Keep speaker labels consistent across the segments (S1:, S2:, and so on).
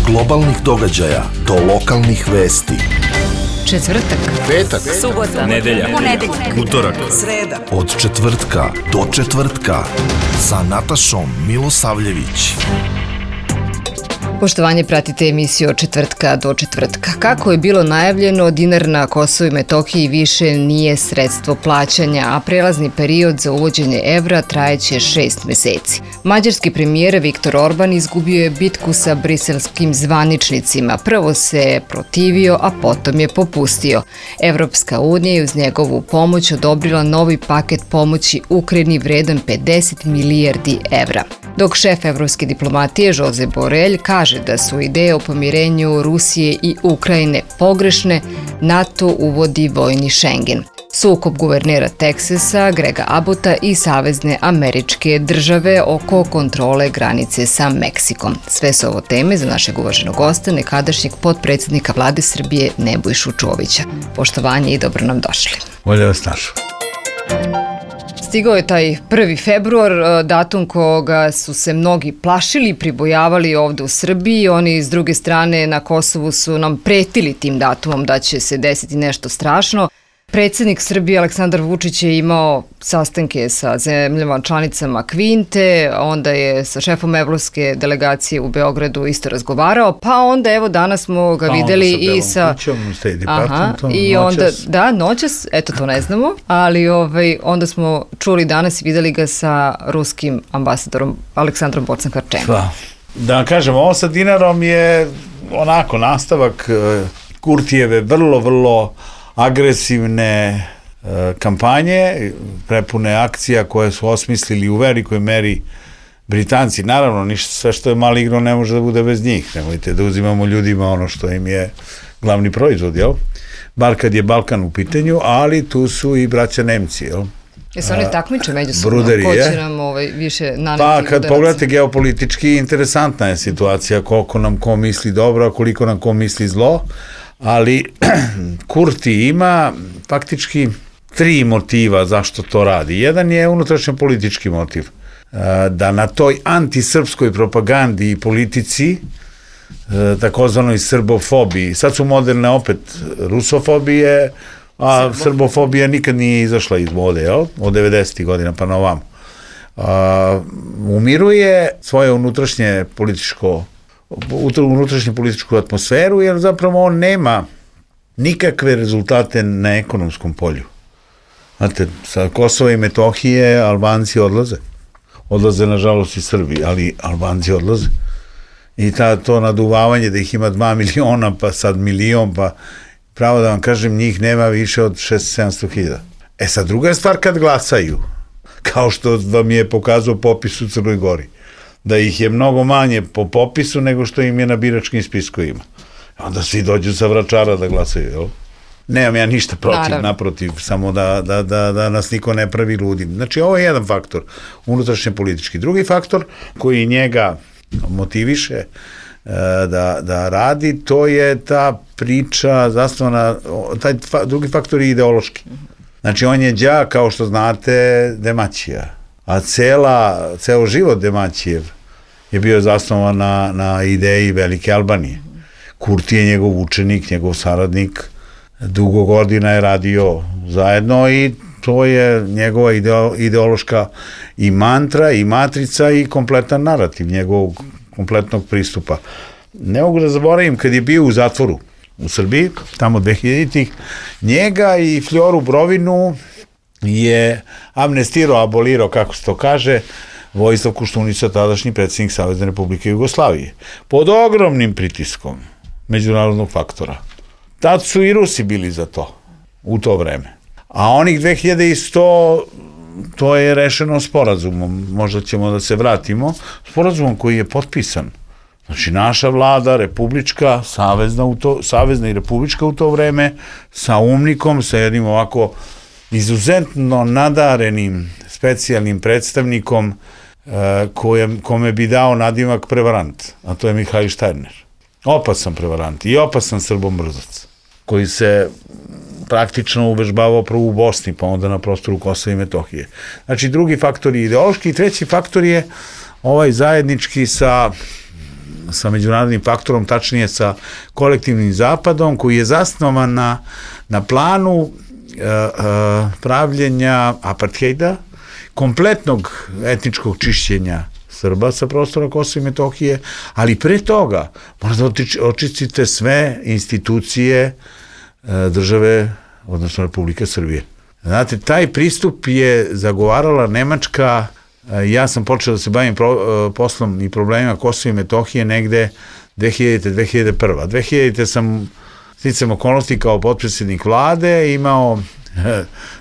S1: globalnih događaja do lokalnih vesti.
S2: Četvrtak,
S1: petak,
S2: subota,
S3: nedelja, utorak,
S2: sreda.
S1: Od četvrtka do četvrtka sa Natašom Milosavljević.
S2: Poštovanje, pratite emisiju Od četvrtka do četvrtka. Kako je bilo najavljeno, dinar na Kosovu i Metohiji više nije sredstvo plaćanja, a prelazni period za uvođenje evra trajeće 6 meseci. Mađarski premijer Viktor Orban izgubio je bitku sa briselskim zvaničnicima. Prvo se protivio, a potom je popustio. Evropska unija je uz njegovu pomoć odobrila novi paket pomoći Ukrajini vredan 50 milijardi evra. Dok šef evropske diplomatije Josep Borrell kaže da su ideje o pomirenju Rusije i Ukrajine pogrešne, NATO uvodi vojni Schengen. Sukob guvernera Teksasa, Grega Abbotta i Savezne američke države oko kontrole granice sa Meksikom. Sve su ovo teme za našeg uvaženog gosta, nekadašnjeg potpredsjednika Vlade Srbije Nebojšu Čovića. Poštovanje i dobro nam došli.
S4: Bolje vas našao.
S2: Stigao je taj 1. februar, datum koga su se mnogi plašili, pribojavali ovde u Srbiji. Oni s druge strane na Kosovu su nam pretili tim datumom da će se desiti nešto strašno. Predsjednik Srbije Aleksandar Vučić je imao sastanke sa zemljama članicama Kvinte, onda je sa šefom evropske delegacije u Beogradu isto razgovarao, pa onda evo danas smo ga videli i sa... I onda, da, noćas, eto to ne znamo, ali onda smo čuli danas i videli ga sa ruskim ambasadorom Aleksandrom Bocan-Harčemom.
S4: Da vam kažem, ovo sa dinarom je onako nastavak Kurtijeve vrlo agresivne kampanje, prepune akcija koje su osmislili u velikoj meri Britanci. Naravno, sve što je maligno ne može da bude bez njih. Nemojte da uzimamo ljudima ono što im je glavni proizvod, jel? Bar kad je Balkan u pitanju, ali tu su i braća Nemci, jel?
S2: Jesu oni takmiče međusobno?
S4: Bruderi,
S2: ko će nam više naneti
S4: pa
S2: udaraca?
S4: Kad pogledate geopolitički, interesantna je situacija koliko nam ko misli dobro, a koliko nam ko misli zlo. Ali Kurti ima faktički 3 motiva zašto to radi. Jedan je unutrašnjo politički motiv. Da na toj antisrpskoj propagandi i politici, takozvanoj srbofobiji, sad su moderne opet rusofobije, a srbofobija nikad nije izašla iz mode, jel? Od 90. godina pa na ovam. Umiruje svoje unutrašnju političku atmosferu, jer zapravo on nema nikakve rezultate na ekonomskom polju. Znate, sa Kosova i Metohije Albanci odlaze. Odlaze, nažalost, i Srbi, ali Albanci odlaze. I to naduvavanje da ih ima 2 miliona, pa sad milion, pa pravo da vam kažem, njih nema više od 600-700 hiljada. Sad, druga je stvar kad glasaju, kao što vam je pokazao popis u Crnoj Gori, da ih je mnogo manje po popisu nego što im je na biračkim spiskovima. Onda svi dođu sa Vračara da glasaju, jel? Nemam ja ništa protiv, naprotiv, samo da nas niko ne pravi ludim. Znači, ovo je jedan faktor, unutrašnje politički. Drugi faktor koji njega motiviše da radi, to je ta priča zasnovana, taj drugi faktor je ideološki. Znači, on je đak, kao što znate, Demaćija. A ceo život Demaćijev je bio zasnovan na ideji Velike Albanije. Kurti je njegov učenik, njegov saradnik, dugo godina je radio zajedno i to je njegova ideološka i mantra, i matrica, i kompletan narativ njegovog kompletnog pristupa. Ne mogu da zaboravim, kad je bio u zatvoru u Srbiji, tamo 2000-ih, njega i Fljoru Brovinu je amnestirao, abolirao, kako se to kaže, Vojislav Koštunica, tadašnji predsjednik Savezne Republike Jugoslavije, pod ogromnim pritiskom međunarodnog faktora. Tad su i Rusi bili za to, u to vreme. A onih 2100, to je rešeno sporazumom, možda ćemo da se vratimo, sporazumom koji je potpisan. Znači, naša vlada, republička, savezna i republička u to vreme, sa umnikom, sa jednim ovako izuzetno nadarenim specijalnim predstavnikom kome bi dao nadimak prevarant, a to je Mihajl Štajner. Opasan prevarant i opasan srbomrzac, koji se praktično uvežbavao prvo u Bosni, pa onda na prostoru Kosova i Metohije. Znači, drugi faktor je ideološki i treći faktor je ovaj zajednički sa sa međunarodnim faktorom, tačnije sa kolektivnim zapadom, koji je zasnovan na planu pravljenja apartheida, kompletnog etničkog čišćenja Srba sa prostora Kosova i Metohije, ali pre toga možda očistite sve institucije države, odnosno Republike Srbije. Znate, taj pristup je zagovarala Nemačka. Ja sam počeo da se bavim poslom i problemima Kosova i Metohije negde 2000. 2001. sam sticam okolnosti kao potpredsjednik vlade imao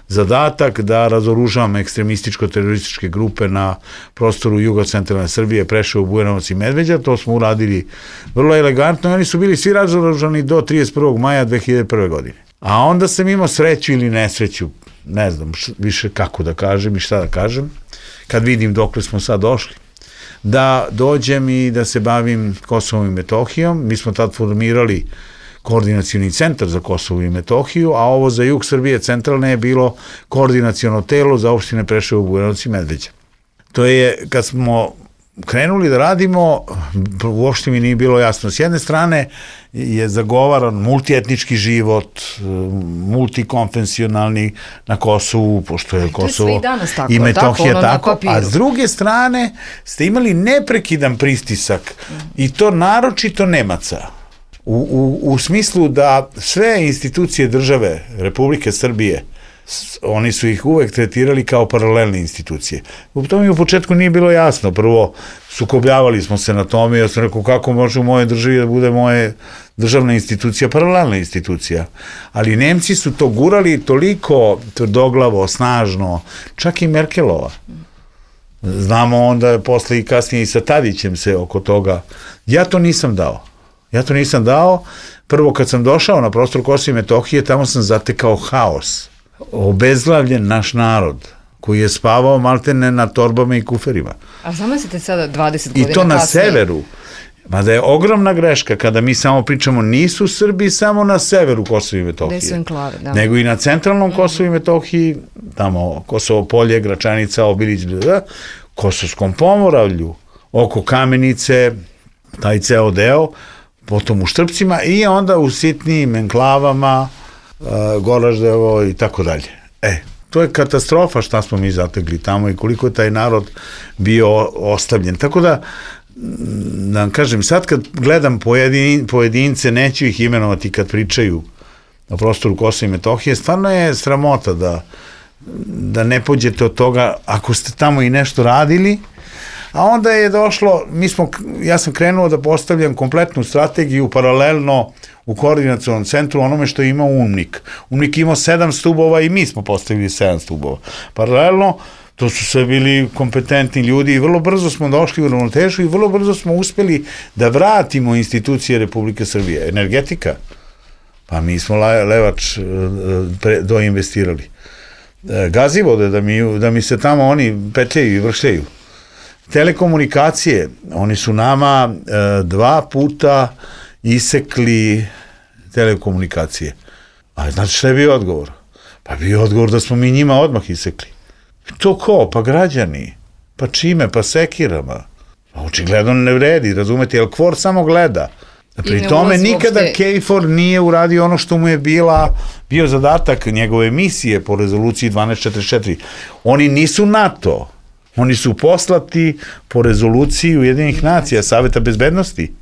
S4: zadatak da razoružavam ekstremističko-terorističke grupe na prostoru jugocentralne Srbije, Preševo, Bujanovac i Medveđa. To smo uradili vrlo elegantno i oni su bili svi razoružani do 31. maja 2001. godine. A onda sam imao sreću ili nesreću, ne znam više kako da kažem i šta da kažem, kad vidim dokle smo sad došli, da dođem i da se bavim Kosovom i Metohijom. Mi smo tad formirali koordinacioni centar za Kosovo i Metohiju, a ovo za jug Srbije centralne je bilo koordinaciono telo za opštine Preševo, Bujanovac i Medveđa. To je, kad smo krenuli da radimo, uopšte mi nije bilo jasno. S jedne strane je zagovaran multietnički život, multikonfesionalni na Kosovu, pošto je Kosovo i Metohija tako, a s druge strane ste imali neprekidan pristisak i to naročito Nemaca. U smislu da sve institucije države Republike Srbije, oni su ih uvek tretirali kao paralelne institucije. To mi u početku nije bilo jasno. Prvo, sukobljavali smo se na tome i ja sam rekao kako može u moje državi da bude moje državna institucija paralelna institucija. Ali Nemci su to gurali toliko tvrdoglavo, snažno, čak i Merkelova. Znamo onda posle i kasnije i sa Tadićem se oko toga. Ja to nisam dao. Prvo, kad sam došao na prostor Kosova i Metohije, tamo sam zatekao haos. Obezglavljen naš narod, koji je spavao maltene na torbama i kuferima.
S2: A zamislite sada 20 godina kasnije.
S4: I to na severu. Mada je ogromna greška kada mi samo pričamo, nisu Srbi samo na severu Kosova i Metohije.
S2: Gde su enklave, da.
S4: Nego i na centralnom Kosovu i Metohiji, tamo Kosovo polje, Gračanica, Obilić, Kosovskom pomoravlju, oko Kamenice, taj ceo deo, potom u Štrpcima i onda u sitnijim enklavama, Goraždevo i tako dalje. To je katastrofa šta smo mi zategli tamo i koliko je taj narod bio ostavljen. Tako da vam kažem, sad kad gledam pojedince, neću ih imenovati kad pričaju na prostoru Kosova i Metohije, stvarno je sramota da ne pođete od toga ako ste tamo i nešto radili. A onda je došlo, ja sam krenuo da postavljam kompletnu strategiju paralelno u koordinacionom centru onome što je imao UNMIK. UNMIK imao 7 stubova i mi smo postavili 7 stubova. Paralelno, to su sve bili kompetentni ljudi i vrlo brzo smo došli u ravnotežu i vrlo brzo smo uspeli da vratimo institucije Republike Srbije. Energetika, pa mi smo Levač doinvestirali. Gazivode, da mi se tamo oni petljaju i vršljaju. Telekomunikacije, oni su nama 2 puta isekli telekomunikacije. A znate šta je bio odgovor? Pa bio odgovor da smo mi njima odmah isekli. To ko? Pa građani. Pa čime? Pa sekirama. Pa očigledno ne vredi, razumete, jer KFOR samo gleda. Pri tome nikada KFOR nije uradio ono što mu je bio zadatak njegove misije po rezoluciji 1244. Oni nisu NATO. Oni su poslati po rezoluciji Ujedinjenih nacija, Saveta bezbednosti.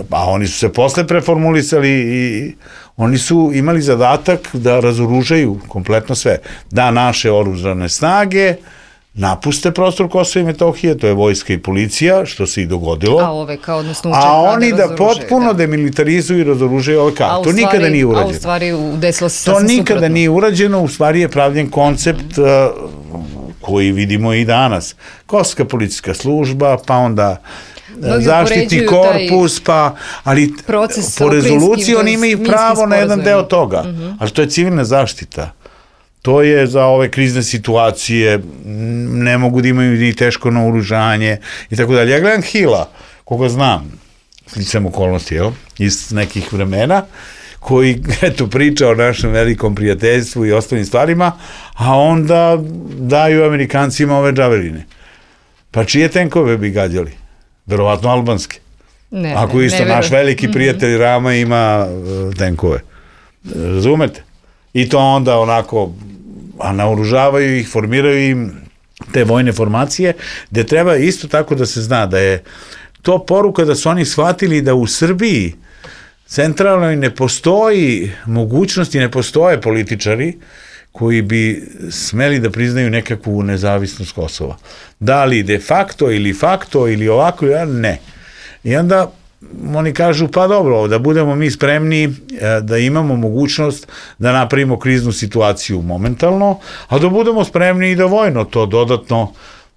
S4: A oni su se posle preformulisali i oni su imali zadatak da razoružaju kompletno sve. Da naše oružane snage napuste prostor Kosova i Metohije, to je vojska i policija, što se i dogodilo. A oni da potpuno demilitarizuju i razoružaju OVK. To nikada nije urađeno.
S2: A u stvari desilo se sasvim
S4: suprotno. To nikada
S2: suprotno.
S4: nije urađeno, u stvari je pravljen koncept koji vidimo i danas. Kosovska policijska služba, pa onda zaštitni korpus, ali po rezoluciji oni imaju pravo na jedan deo toga. Ali to je civilna zaštita. To je za ove krizne situacije, ne mogu da imaju ni teško naoružanje i tako dalje. Ja gledam Hila, koga znam, sličan okolnosti, iz nekih vremena, koji, priča o našem velikom prijateljstvu i ostalim stvarima, a onda daju Amerikancima ove džaveline. Pa čije tenkove bi gađali? Verovatno albanske.
S2: Ne,
S4: Ako isto naš veliki prijatelj Rama ima tenkove. Razumete? I to onda onako, a naoružavaju ih, formiraju im te vojne formacije, gde treba isto tako da se zna da je to poruka da su oni shvatili da u Srbiji centralnoj ne postoji mogućnosti, ne postoje političari koji bi smeli da priznaju nekakvu nezavisnost Kosova. Da li de facto ili ovako, ne. I onda oni kažu, pa dobro, da budemo mi spremni da imamo mogućnost da napravimo kriznu situaciju momentalno, a da budemo spremni i da vojno to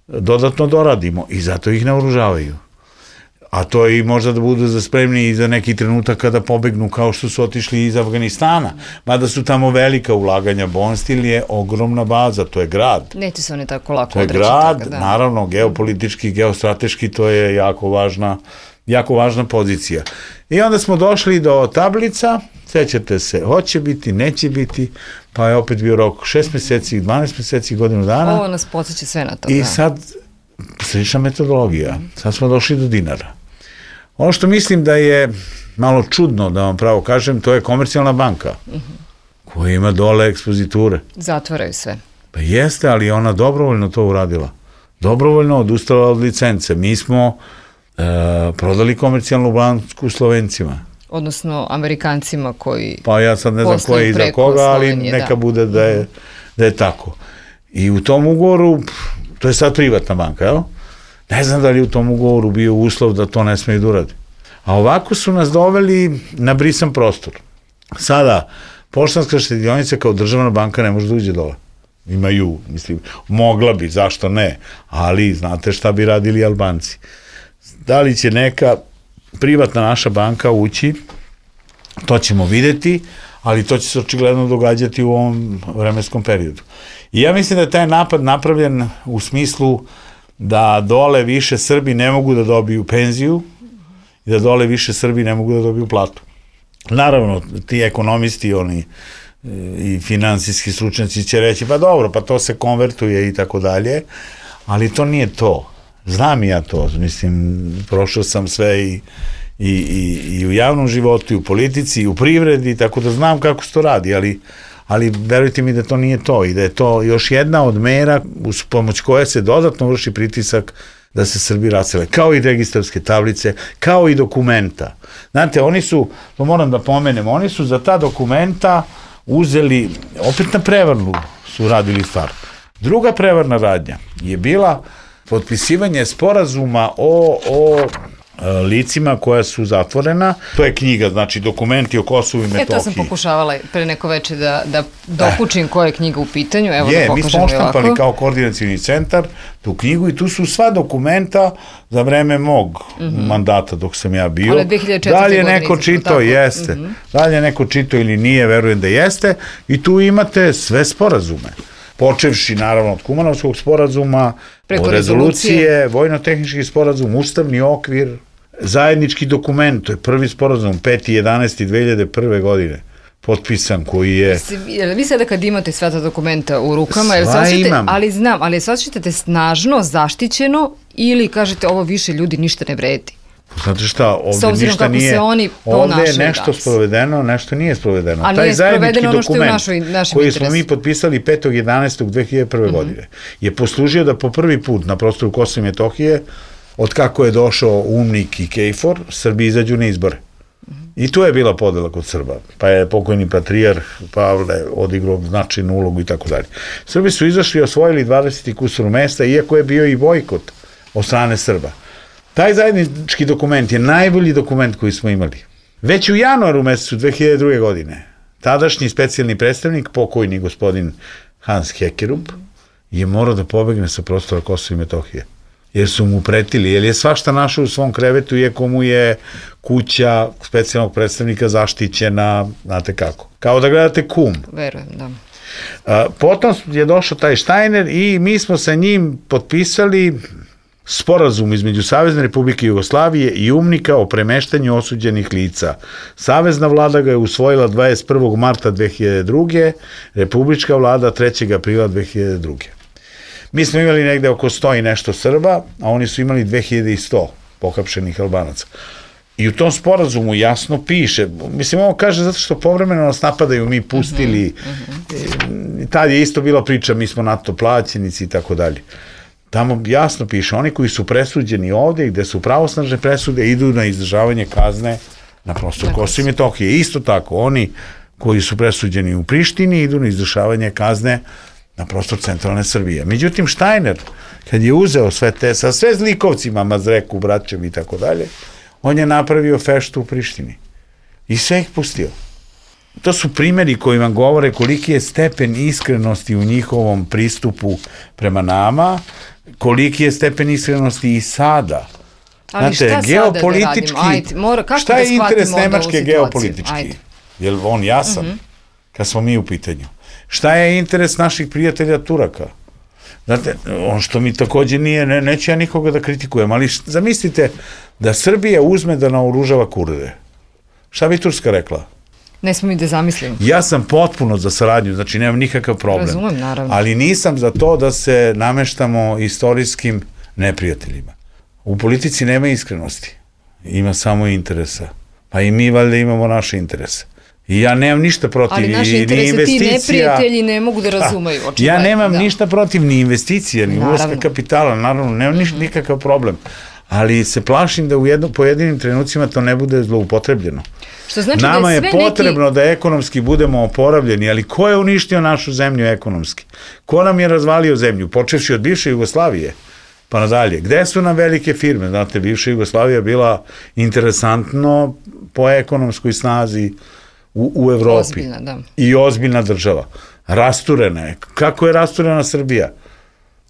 S4: dodatno doradimo i zato ih naoružavaju. A to i možda da budu spremni i za neki trenutak kada pobegnu kao što su otišli iz Afganistana. Mada su tamo velika ulaganja. Bonstil je ogromna baza, to je grad.
S2: Neće se oni tako lako
S4: odreći. To je grad, naravno, geopolitički, geostrateški, to je jako važna pozicija. I onda smo došli do tablica, sećate se, hoće biti, neće biti, pa je opet bio rok 6 meseci, 12 meseci, godinu dana.
S2: Ovo nas podsjeća sve na to.
S4: I sad, slična metodologija, sad smo došli do dinara. Ono što mislim da je malo čudno, da vam pravo kažem, to je Komercijalna banka, koja ima dole ekspoziture.
S2: Zatvaraju sve.
S4: Pa jeste, ali ona dobrovoljno to uradila. Dobrovoljno odustala od licence. Mi smo prodali Komercijalnu banku Slovencima.
S2: Odnosno Amerikancima koji...
S4: Pa ja sad ne znam ko je iza koga, ali neka bude da je tako. I u tom ugovoru, to je sad privatna banka, jel? Ne znam da li u tom ugovoru bio uslov da to ne smeju da uradi. A ovako su nas doveli na brisan prostor. Sada, Poštanska štedionica kao državna banka ne može da uđe dole. Imaju, mislim, mogla bi, zašto ne, ali znate šta bi radili Albanci. Da li će neka privatna naša banka ući, to ćemo videti, ali to će se očigledno događati u ovom vremenskom periodu. I ja mislim da je taj napad napravljen u smislu da dole više Srbi ne mogu da dobiju penziju i da dole više Srbi ne mogu da dobiju platu. Naravno, ti ekonomisti, oni i finansijski stručnjaci će reći, pa dobro, pa to se konvertuje i tako dalje, ali to nije to. Znam i ja to, mislim, prošao sam sve i u javnom životu, i u politici, i u privredi, tako da znam kako se to radi, ali verujte mi da to nije to i da je to još jedna od mera uz pomoć koje se dodatno vrši pritisak da se Srbi rasele, kao i registarske tablice, kao i dokumenta. Znate, oni su, to moram da pomenem, oni su za ta dokumenta uzeli, opet na prevarnu su radili stvar. Druga prevarna radnja je bila potpisivanje sporazuma o licima koja su zatvorena. To je knjiga, znači dokumenti o Kosovu i Metohiji.
S2: To sam pokušavala pre neko veče da dokučim koja je knjiga u pitanju. Evo da pokažem
S4: mi smo oštampali kao koordinacioni centar tu knjigu i tu su sva dokumenta za vreme mog mandata dok sam ja bio.
S2: Ale 2004.
S4: Da li je neko čitao? Jeste. Da li je neko čitao ili nije, verujem da jeste. I tu imate sve sporazume. Počevši, naravno, od Kumanovskog sporazuma, od rezolucije, vojno-tehnički sporazum, ustavni okvir, zajednički dokument, to je prvi sporazum, 5.11.2001. godine, potpisan, koji je...
S2: Vi sada kad imate sva ta dokumenta u rukama,
S4: imam.
S2: Ali sad ćete snažno, zaštićeno ili kažete ovo više ljudi ništa ne vredi?
S4: Znate šta, ovde ništa nije, ovde je nešto sprovedeno, nešto nije sprovedeno.
S2: A nije sprovedeno ono što je u našem interesu.
S4: Koji smo mi potpisali 5.11.2001. godine je poslužio da po prvi put na prostoru Kosova i Metohije, od kako je došao UNMIK i KFOR, Srbi izađu na izbore. I tu je bila podela kod Srba, pa je pokojni patrijarh Pavle odigrao značajnu ulogu i tako dalje. Srbi su izašli i osvojili 20 kusur mesta, iako je bio i bojkot od strane Srba. Taj zajednički dokument je najbolji dokument koji smo imali. Već u januaru mesecu 2002. godine tadašnji specijalni predstavnik, pokojni gospodin Hans Hekerup, je morao da pobegne sa prostora Kosova i Metohije. Jer su mu pretili, jer je svašta našao u svom krevetu, iako mu je kuća specijalnog predstavnika zaštićena, znate kako. Kao da gledate Kum.
S2: Verujem, da.
S4: Potom je došao taj Štajner i mi smo sa njim potpisali sporazum između Savezne Republike Jugoslavije i UNMIK-a o premeštanju osuđenih lica. Savezna vlada ga je usvojila 21. marta 2002. Republička vlada 3. aprila 2002. Mi smo imali negde oko 100 i nešto Srba, a oni su imali 2100 pohapšenih Albanaca. I u tom sporazumu jasno piše, mislim, ovo kaže zato što povremeno nas napadaju, mi pustili, tad je isto bila priča, mi smo NATO plaćenici i tako dalje. Tamo jasno piše, oni koji su presuđeni ovde, gde su pravosnažne presude, idu na izdržavanje kazne na prostoru Kosova i Metohije. Isto tako, oni koji su presuđeni u Prištini, idu na izdržavanje kazne na prostor centralne Srbije. Međutim, Štajner, kad je uzeo sve te, sa sve zlikovcima, Mazreku, braćom i tako dalje, on je napravio feštu u Prištini i sve ih pustio. To su primjeri koji vam govore koliki je stepen iskrenosti u njihovom pristupu prema nama, koliki je stepen iskrenosti i sada.
S2: Ali znate, šta geopolitički, sada da radimo? Ajde,
S4: šta je interes Nemačke geopolitički? Je li on jasan? Kad smo mi u pitanju. Šta je interes naših prijatelja Turaka? Znate, on što mi takođe nije, neću ja nikoga da kritikujem, ali zamislite da Srbija uzme da naoružava Kurde. Šta bi Turska rekla?
S2: Ne smo mi da zamislimo.
S4: Ja sam potpuno za saradnju, znači nemam nikakav problem.
S2: Razumem, naravno.
S4: Ali nisam za to da se nameštamo istorijskim neprijateljima. U politici nema iskrenosti. Ima samo interesa. Pa i mi valjda imamo naše interese. I ja nemam ništa protiv ni investicija.
S2: Ali naše interese ti neprijatelji ne mogu da razumeju.
S4: Ja nemam ništa protiv ni investicija, ni ulaska kapitala, naravno, nemam nikakav problem. Ali se plašim da u pojedinim trenucima to ne bude zloupotrebljeno.
S2: Što znači
S4: nama je potrebno da ekonomski budemo oporavljeni, ali ko je uništio našu zemlju ekonomski? Ko nam je razvalio zemlju? Počevši od bivše Jugoslavije, pa nadalje. Gde su nam velike firme? Znate, bivša Jugoslavija bila interesantno po ekonomskoj snazi u Evropi.
S2: Ozbiljna, da.
S4: I ozbiljna država. Rasturena je. Kako je rasturena Srbija?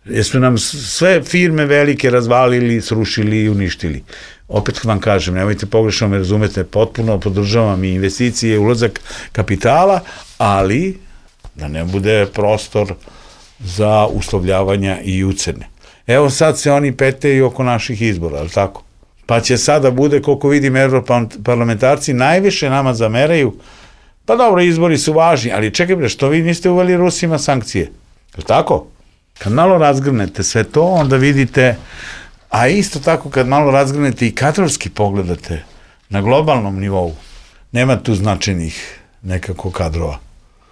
S4: Jesu nam sve firme velike razvalili, srušili i uništili. Opet vam kažem, nemojte pogrešno me razumete, potpuno podržavam i investicije, ulazak kapitala, ali da ne bude prostor za uslovljavanja i ucene. Evo sad se oni peteju oko naših izbora, ali tako? Pa će sada bude, koliko vidim, europarlamentarci najviše nama zameraju, pa dobro, izbori su važni, ali čekaj bre, što vi niste uveli Rusima sankcije? Je tako? Kad malo razgrnete sve to, onda vidite, a isto tako kad malo razgrnete i kadrovski pogledate na globalnom nivou, nema tu značajnih nekako kadrova.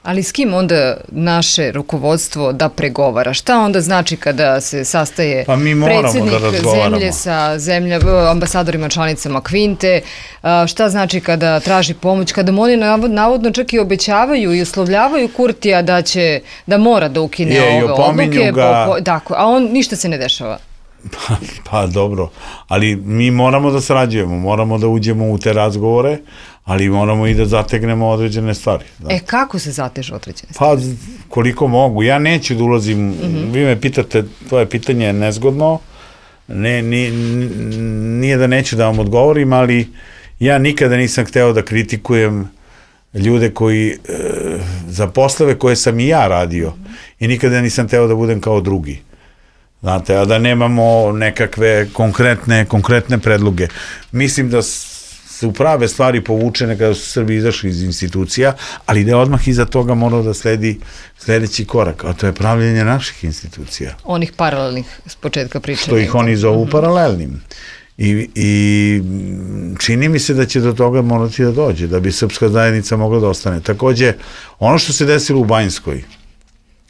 S2: Ali s kim onda naše rukovodstvo da pregovara? Šta onda znači kada se sastaje predsjednik zemlje sa ambasadorima članicama Kvinte? Šta znači kada traži pomoć? Kada oni navodno čak i obećavaju i uslovljavaju Kurtija da mora da ukine ove odluke, a on ništa se ne dešava.
S4: Pa dobro, ali mi moramo da sarađujemo, moramo da uđemo u te razgovore, ali moramo i da zategnemo određene stvari. Da.
S2: Kako se zatežu određene stvari?
S4: Pa koliko mogu, ja neću da ulazim, vi me pitate, tvoje pitanje je nezgodno, nije da neću da vam odgovorim, ali ja nikada nisam hteo da kritikujem ljude koji, za poslove koje sam i ja radio, i nikada nisam hteo da budem kao drugi. Znate, a da nemamo nekakve konkretne predloge. Mislim da su prave stvari povučene kada su Srbi izašli iz institucija, ali da je odmah iza toga morao da sledi sledeći korak, a to je pravljenje naših institucija.
S2: Onih paralelnih s početka pričanja.
S4: Što ih oni zovu paralelnim. I čini mi se da će do toga morati da dođe, da bi srpska zajednica mogla da ostane. Takođe, ono što se desilo u Banjskoj,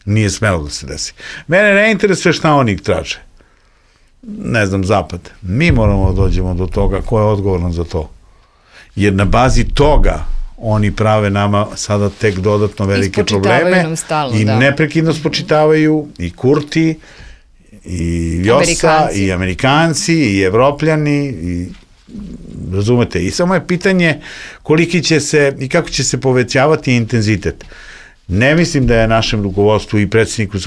S4: nije smelo da se desi. Mene ne interesuje šta oni traže. Ne znam, Zapad. Mi moramo da dođemo do toga ko je odgovoran za to. Jer na bazi toga oni prave nama sada tek dodatno velike probleme i neprekidno spočitavaju i Kurti, i Vjosa, i Amerikanci, i Evropljani, i razumete. I samo je pitanje koliki će se i kako će se povećavati intenzitet. Ne mislim da je našem rukovodstvu i predsjedniku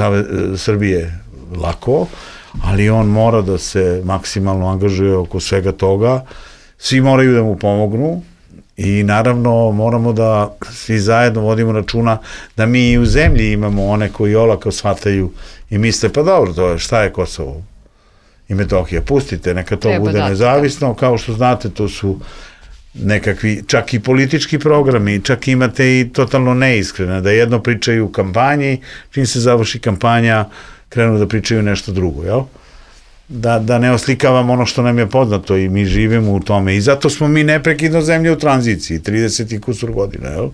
S4: Srbije lako, ali on mora da se maksimalno angažuje oko svega toga. Svi moraju da mu pomognu i naravno moramo da svi zajedno vodimo računa da mi i u zemlji imamo one koji olako shvataju i misle, pa dobro, šta je Kosovo i Metohija, pustite, neka to bude nezavisno, kao što znate, to su nekakvi, čak i politički programi, čak imate i totalno neiskrene, da jedno pričaju u kampanji, čim se završi kampanja, krenu da pričaju nešto drugo, jel? da ne oslikavamo ono što nam je poznato i mi živimo u tome. I zato smo mi neprekidno zemlja u tranziciji, 30 i kusur godina, jel?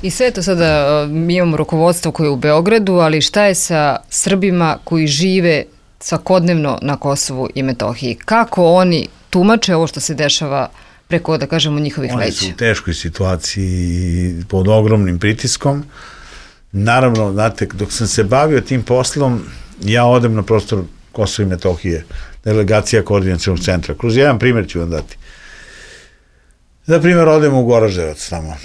S2: I sve to sada, mi imamo rukovodstvo koje je u Beogradu, ali šta je sa Srbima koji žive svakodnevno na Kosovu i Metohiji? Kako oni tumače ovo što se dešava preko, da kažemo, njihovih leđa?
S4: Oni su u teškoj situaciji, pod ogromnim pritiskom. Naravno, znate, dok sam se bavio tim poslom, ja odem na prostor Kosova i Metohije, delegacija koordinacionog centra. Kroz jedan primjer ću vam dati. Za primjer, odemo u Goraždevac tamo.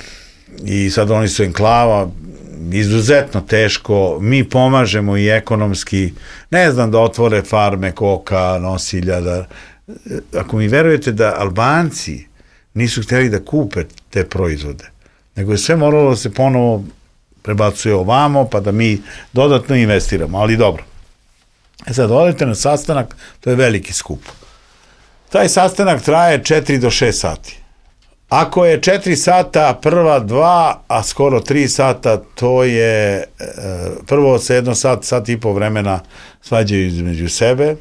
S4: I sad oni su enklava, izuzetno teško, mi pomažemo i ekonomski, ne znam, da otvore farme koka, nosilja, da... Ako mi verujete da Albanci nisu htjeli da kupe te proizvode, nego je sve moralo da se ponovo prebacuje ovamo, pa da mi dodatno investiramo, ali dobro. Sad, odete na sastanak, to je veliki skup. Taj sastanak traje 4 do 6 sati. Ako je 4 sata, prva 2, a skoro 3 sata, to je, prvo se jedno sat i po vremena svađaju između sebe,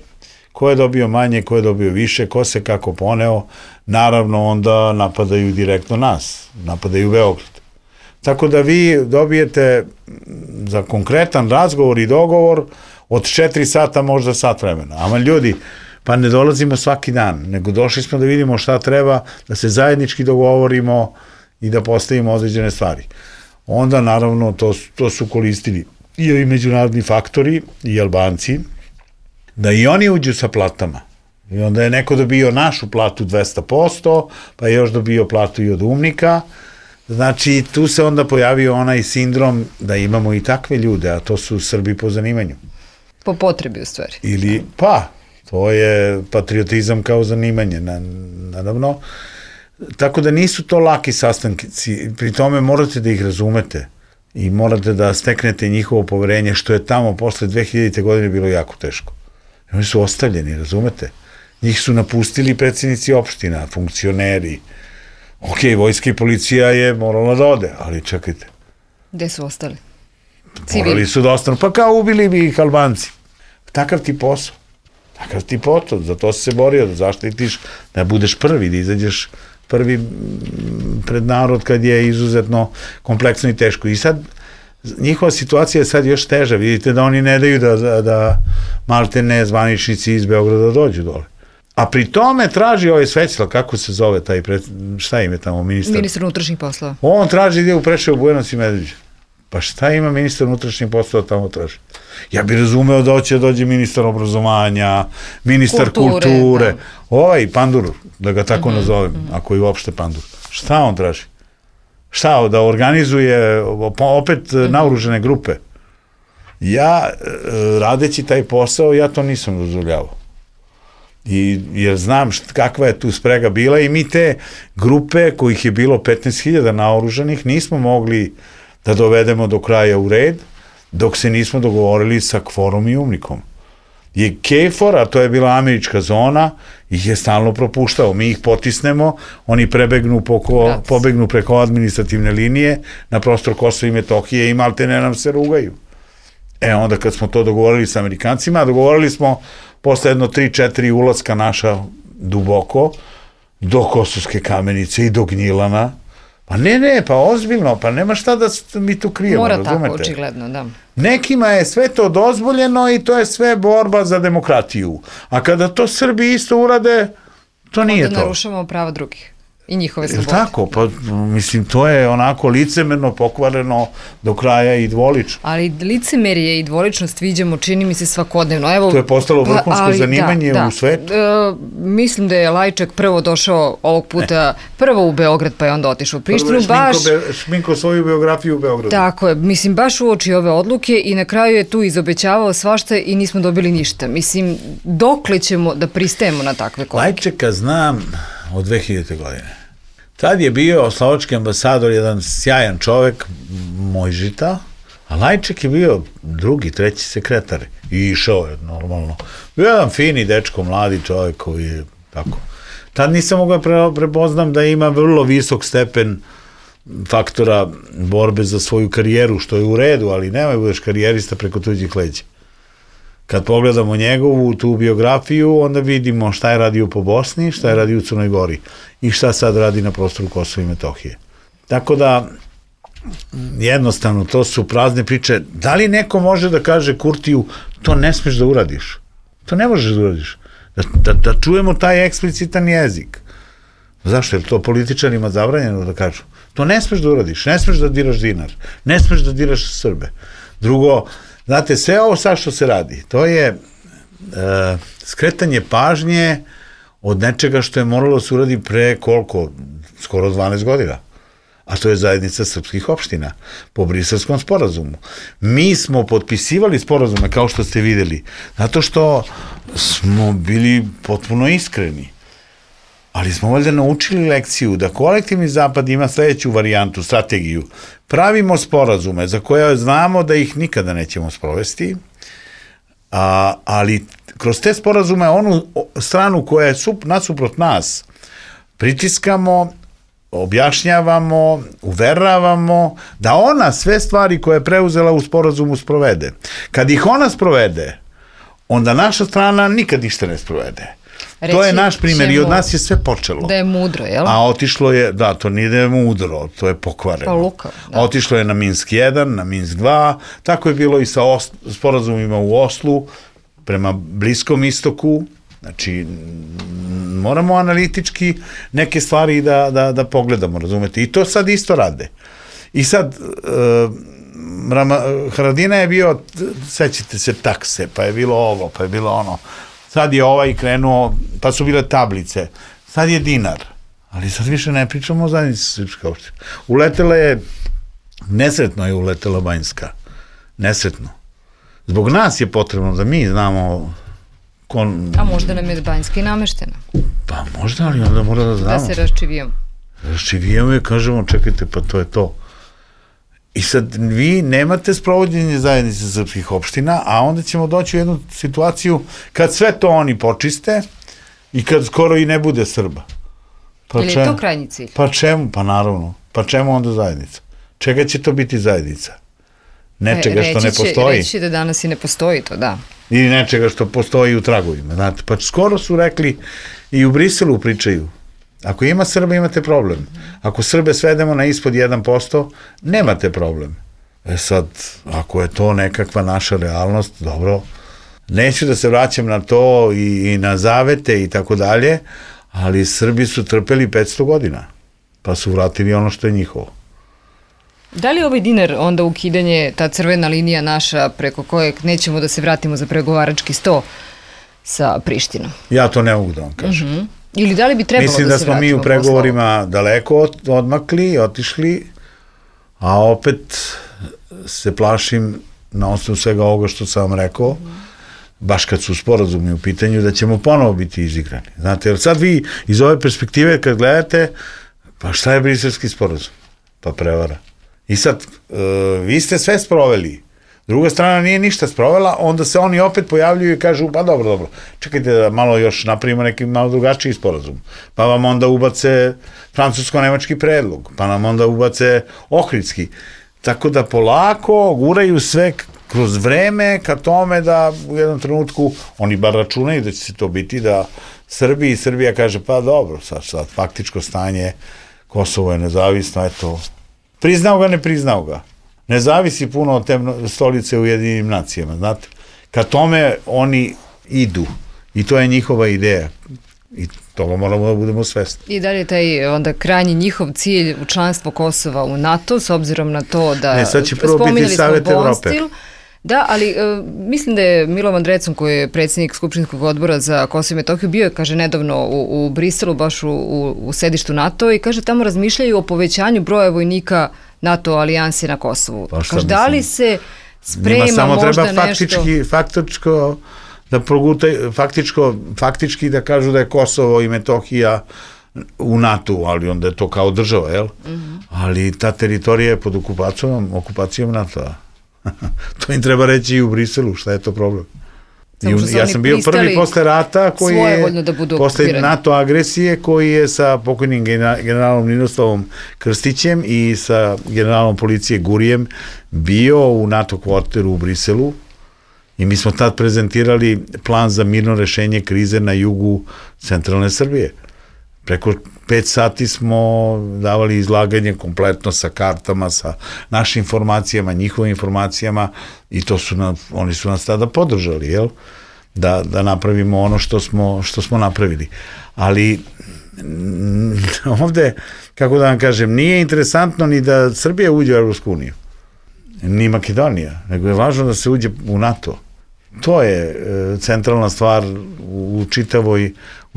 S4: ko je dobio manje, ko je dobio više, ko se kako poneo, naravno onda napadaju direktno nas, napadaju Beograd. Tako da vi dobijete za konkretan razgovor i dogovor od 4 sata možda sat vremena. Ama ljudi, pa ne dolazimo svaki dan, nego došli smo da vidimo šta treba, da se zajednički dogovorimo i da postavimo određene stvari. Onda, naravno, to su koristili i međunarodni faktori, i Albanci, da i oni uđu sa platama. I onda je neko dobio našu platu 200%, pa je još dobio platu i od umnika. Znači, tu se onda pojavio onaj sindrom da imamo i takve ljude, a to su Srbi po zanimanju.
S2: Po potrebi, u stvari.
S4: Ili, pa, to je patriotizam kao zanimanje, naravno. Tako da nisu to laki sastanci, pri tome morate da ih razumete i morate da steknete njihovo poverenje, što je tamo posle 2000. godine bilo jako teško. Oni su ostavljeni, razumete? Njih su napustili predsjednici opština, funkcioneri. Ok, vojska i policija je morala da ode, ali čekajte.
S2: Gde su ostali?
S4: Morali su da ostanu, pa kao ubili bi ih Albanci. Takav ti posao. Takav ti potod, za to si se borio, da zaštitiš, da budeš prvi, da izađeš prvi pred narod kad je izuzetno kompleksno i teško. I sad, njihova situacija je sad još teža, vidite da oni ne daju da maltene zvaničnici iz Beograda dođu dole. A pri tome traži ovaj Svećla, kako se zove taj, šta im je tamo, ministar
S2: unutrašnjih poslova.
S4: On traži gdje u Preševu, Bujanovac i Medveđa. Pa šta ima ministar unutrašnjih poslova tamo traži? Ja bih razumeo da hoće dođe ministar obrazovanja, ministar kulture, ovaj Pandur, da ga tako nazovem, ako je uopšte Pandur. Šta on traži? Šta, da organizuje opet naoružene grupe? Ja, radeći taj posao, ja to nisam dozvoljavao. Jer znam kakva je tu sprega bila i mi te grupe, kojih je bilo 15.000 naoružanih, nismo mogli da dovedemo do kraja u red, dok se nismo dogovorili sa KFOR-om i UMNIK-om. Je KFOR, a to je bila američka zona, ih je stalno propuštao. Mi ih potisnemo, oni pobegnu preko administrativne linije na prostor Kosova i Metohije i maltene nam se rugaju. Onda kad smo to dogovorili sa Amerikancima, dogovorili smo posle jedno 3-4 ulaska naša duboko, do Kosovske Kamenice i do Gnjilana. Pa ne, pa ozbiljno, pa nema šta da mi tu krijemo, razumete?
S2: Mora tako, očigledno, da.
S4: Nekima je sve to dozvoljeno i to je sve borba za demokratiju. A kada to Srbi isto urade, to nije to.
S2: Onda narušavamo prava drugih i njihove slobode.
S4: Tako, pa mislim, to je onako licemerno, pokvareno do kraja i dvolično.
S2: Ali licemerje i dvoličnost viđamo, čini mi se, svakodnevno. Evo,
S4: to je postalo vrhunsko zanimanje u svetu.
S2: Mislim da je Lajčak prvo došao ovog puta prvo u Beograd, pa je onda otišao u Prištinu.
S4: Šminko svoju biografiju u Beogradu.
S2: Tako je, mislim, baš uoči ove odluke i na kraju je tu izobećavao svašta i nismo dobili ništa. Mislim, dokle ćemo da pristajemo na takve korake?
S4: Lajčaka znam od 2000. godine. Tad je bio slovački ambasador, jedan sjajan čovek, Mojžita, a Lajček je bio drugi, treći sekretar i išao je normalno. Bio jedan fini dečko, mladi čovek koji je tako. Tad nisam mogao prepoznam da ima vrlo visok stepen faktora borbe za svoju karijeru, što je u redu, ali nemoj budeš karijerista preko tuđih leđa. Kad pogledamo njegovu tu biografiju, onda vidimo šta je radio po Bosni, šta je radio u Crnoj Gori i šta sad radi na prostoru Kosova i Metohije. Tako da, jednostavno, to su prazne priče. Da li neko može da kaže Kurtiju, to ne smeš da uradiš? To ne možeš da uradiš. Da čujemo taj eksplicitan jezik. Zašto? Je to političarima zabranjeno da kažu? To ne smeš da uradiš, ne smeš da diraš dinar, ne smeš da diraš Srbe. Drugo, znate, sve ovo sad što se radi, to je skretanje pažnje od nečega što je moralo da se uradi pre koliko? Skoro 12 godina. A to je zajednica srpskih opština po Briselskom sporazumu. Mi smo potpisivali sporazume, kao što ste videli, zato što smo bili potpuno iskreni. Ali smo valjda naučili lekciju da kolektivni zapad ima sledeću varijantu, strategiju. Pravimo sporazume za koje znamo da ih nikada nećemo sprovesti, ali kroz te sporazume onu stranu koja je nasuprot nas pritiskamo, objašnjavamo, uveravamo da ona sve stvari koje je preuzela u sporazumu sprovede. Kad ih ona sprovede, onda naša strana nikad ništa ne sprovede. To je naš primjer i od nas je sve počelo.
S2: Da je mudro, jel?
S4: A otišlo je, da, to nije da je mudro, to je pokvareno.
S2: Pa lukav, da.
S4: Otišlo je na Minsk 1, na Minsk 2, tako je bilo i sa sporazumima u Oslu, prema Bliskom istoku, znači moramo analitički neke stvari da pogledamo, razumete? I to sad isto rade. I sad, Haradina je bio, sećate se takse, pa je bilo ovo, pa je bilo ono. Sad je ovaj krenuo, pa su bile tablice. Sad je dinar. Ali sad više ne pričamo o zajednici srpske opštine. Uletela je, nesretno je uletela Banjska. Nesretno. Zbog nas je potrebno da mi znamo
S2: A možda nam je Banjska i nameštena.
S4: Pa možda, ali onda mora da znamo.
S2: Da se raščivijemo.
S4: Raščivijemo i kažemo, čekajte, pa to je to. I sad vi nemate sprovođenje zajednice srpskih opština, a onda ćemo doći u jednu situaciju kad sve to oni počiste i kad skoro i ne bude Srba.
S2: Pa ili je to krajnji cilj?
S4: Pa čemu? Pa naravno. Pa čemu onda zajednica? Čega će to biti zajednica? Nečega što ne postoji.
S2: Reći da danas i ne postoji to, da.
S4: Ili nečega što postoji u tragovima. Znate, pa skoro su rekli i u Briselu pričaju. Ako ima Srba, imate problem. Ako Srbe svedemo na ispod 1%, nemate problem. Sad, ako je to nekakva naša realnost, dobro, neću da se vraćam na to i na zavete i tako dalje, ali Srbi su trpeli 500 godina, pa su vratili ono što je njihovo.
S2: Da li ovaj dinar onda ukidanje, ta crvena linija naša preko kojeg nećemo da se vratimo za pregovarački sto sa Prištinom?
S4: Ja to ne mogu da vam kažem.
S2: Ili da li bi trebalo da se vratimo?
S4: Mislim da smo mi u pregovorima daleko odmakli, otišli, a opet se plašim na osnovu svega ovoga što sam vam rekao, baš kad su sporazumi u pitanju, da ćemo ponovo biti izigrani. Znate, jer sad vi iz ove perspektive kad gledate, pa šta je briselski sporazum? Pa prevara. I sad, vi ste sve sproveli, druga strana nije ništa sprovela, onda se oni opet pojavljuju i kažu, pa dobro, čekajte da malo još napravimo neki malo drugačiji sporazum. Pa vam onda ubace francusko-nemački predlog, pa nam onda ubace ohridski. Tako da polako guraju sve kroz vreme ka tome da u jednom trenutku, oni bar računaju da će se to biti, da Srbija kaže, pa dobro, sad faktičko stanje, Kosovo je nezavisno, eto, priznao ga, ne priznao ga. Ne zavisi puno od te stolice u Ujedinjenim nacijama, znate. Ka tome oni idu i to je njihova ideja i toga moramo da budemo svesni.
S2: I da li je taj onda krajnji njihov cilj u članstvo Kosova u NATO, s obzirom na to da...
S4: Ne, sad će prvo biti Savet Evrope.
S2: Da, ali mislim da je Milovan Drecun, koji je predsjednik Skupštinskog odbora za Kosovo i Metohiju, bio je, kaže, nedavno u Briselu, baš u sedištu NATO i kaže, tamo razmišljaju o povećanju broja vojnika NATO alijanse na Kosovu.
S4: Pa
S2: kaže, da li se sprema možda nešto... Samo
S4: treba faktički da kažu da je Kosovo i Metohija u NATO, ali onda je to kao država, jel? Ali ta teritorija je pod okupacijom NATO-a. To im treba reći i u Briselu, šta je to problem. Ja sam bio prvi posle rata koji je, posle NATO agresije, koji je sa pokojnim generalom Ninoslavom Krstićem i sa generalom policije Gurijem bio u NATO kvarteru u Briselu I mi smo tad prezentirali plan za mirno rešenje krize na jugu centralne Srbije. Preko 5 sati smo davali izlaganje kompletno sa kartama, sa našim informacijama, njihovim informacijama i oni su nas tada podržali, jel? Da napravimo ono što smo napravili. Ali ovde, kako da vam kažem, nije interesantno ni da Srbija uđe u Evropsku uniju, ni Makedonija, nego je važno da se uđe u NATO. To je centralna stvar u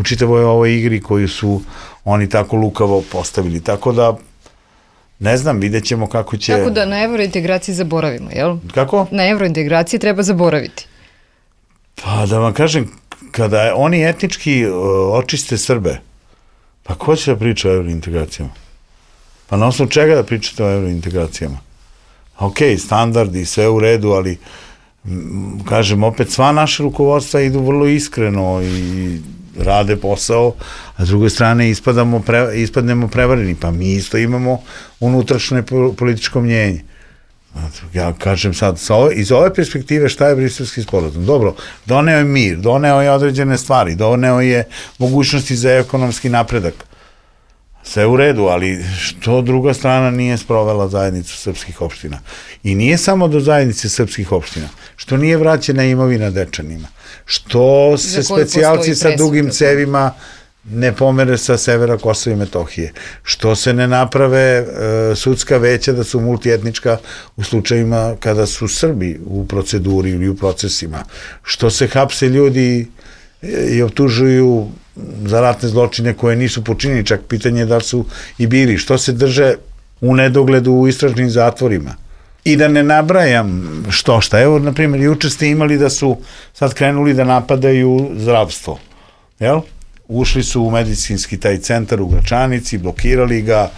S4: čitavoj ovoj igri koju su oni tako lukavo postavili. Tako da, ne znam, vidjet ćemo kako će...
S2: Tako da na evrointegraciji zaboravimo, jel?
S4: Kako?
S2: Na evrointegraciji treba zaboraviti.
S4: Pa da vam kažem, kada oni etnički očiste Srbe, pa ko će da priča o evrointegracijama? Pa na osnovu čega da pričate o evrointegracijama? Ok, standardi, sve u redu, ali kažem, opet sva naša rukovodstva idu vrlo iskreno i rade posao, a s druge strane ispadnemo prevareni, pa mi isto imamo unutrašnje političko mnjenje. Ja kažem sad, iz ove perspektive šta je Briselski sporazum? Dobro, doneo je mir, doneo je određene stvari, doneo je mogućnosti za ekonomski napredak. Sve u redu, ali što druga strana nije sprovela zajednicu srpskih opština? I nije samo do zajednice srpskih opština. Što nije vraćena imovina Dečanima? Što se specijalci sa dugim cevima ne pomere sa severa Kosova i Metohije? Što se ne naprave sudska veća da su multietnička u slučajima kada su Srbi u proceduri ili u procesima? Što se hapse ljudi i optužuju za ratne zločine koje nisu počinili, čak pitanje da su i bili? Što se drže u nedogledu u istražnim zatvorima? I da ne nabrajam šta. Evo, na primjer, juče ste imali da su sad krenuli da napadaju zdravstvo. Jel? Ušli su u medicinski taj centar u Gračanici, blokirali ga,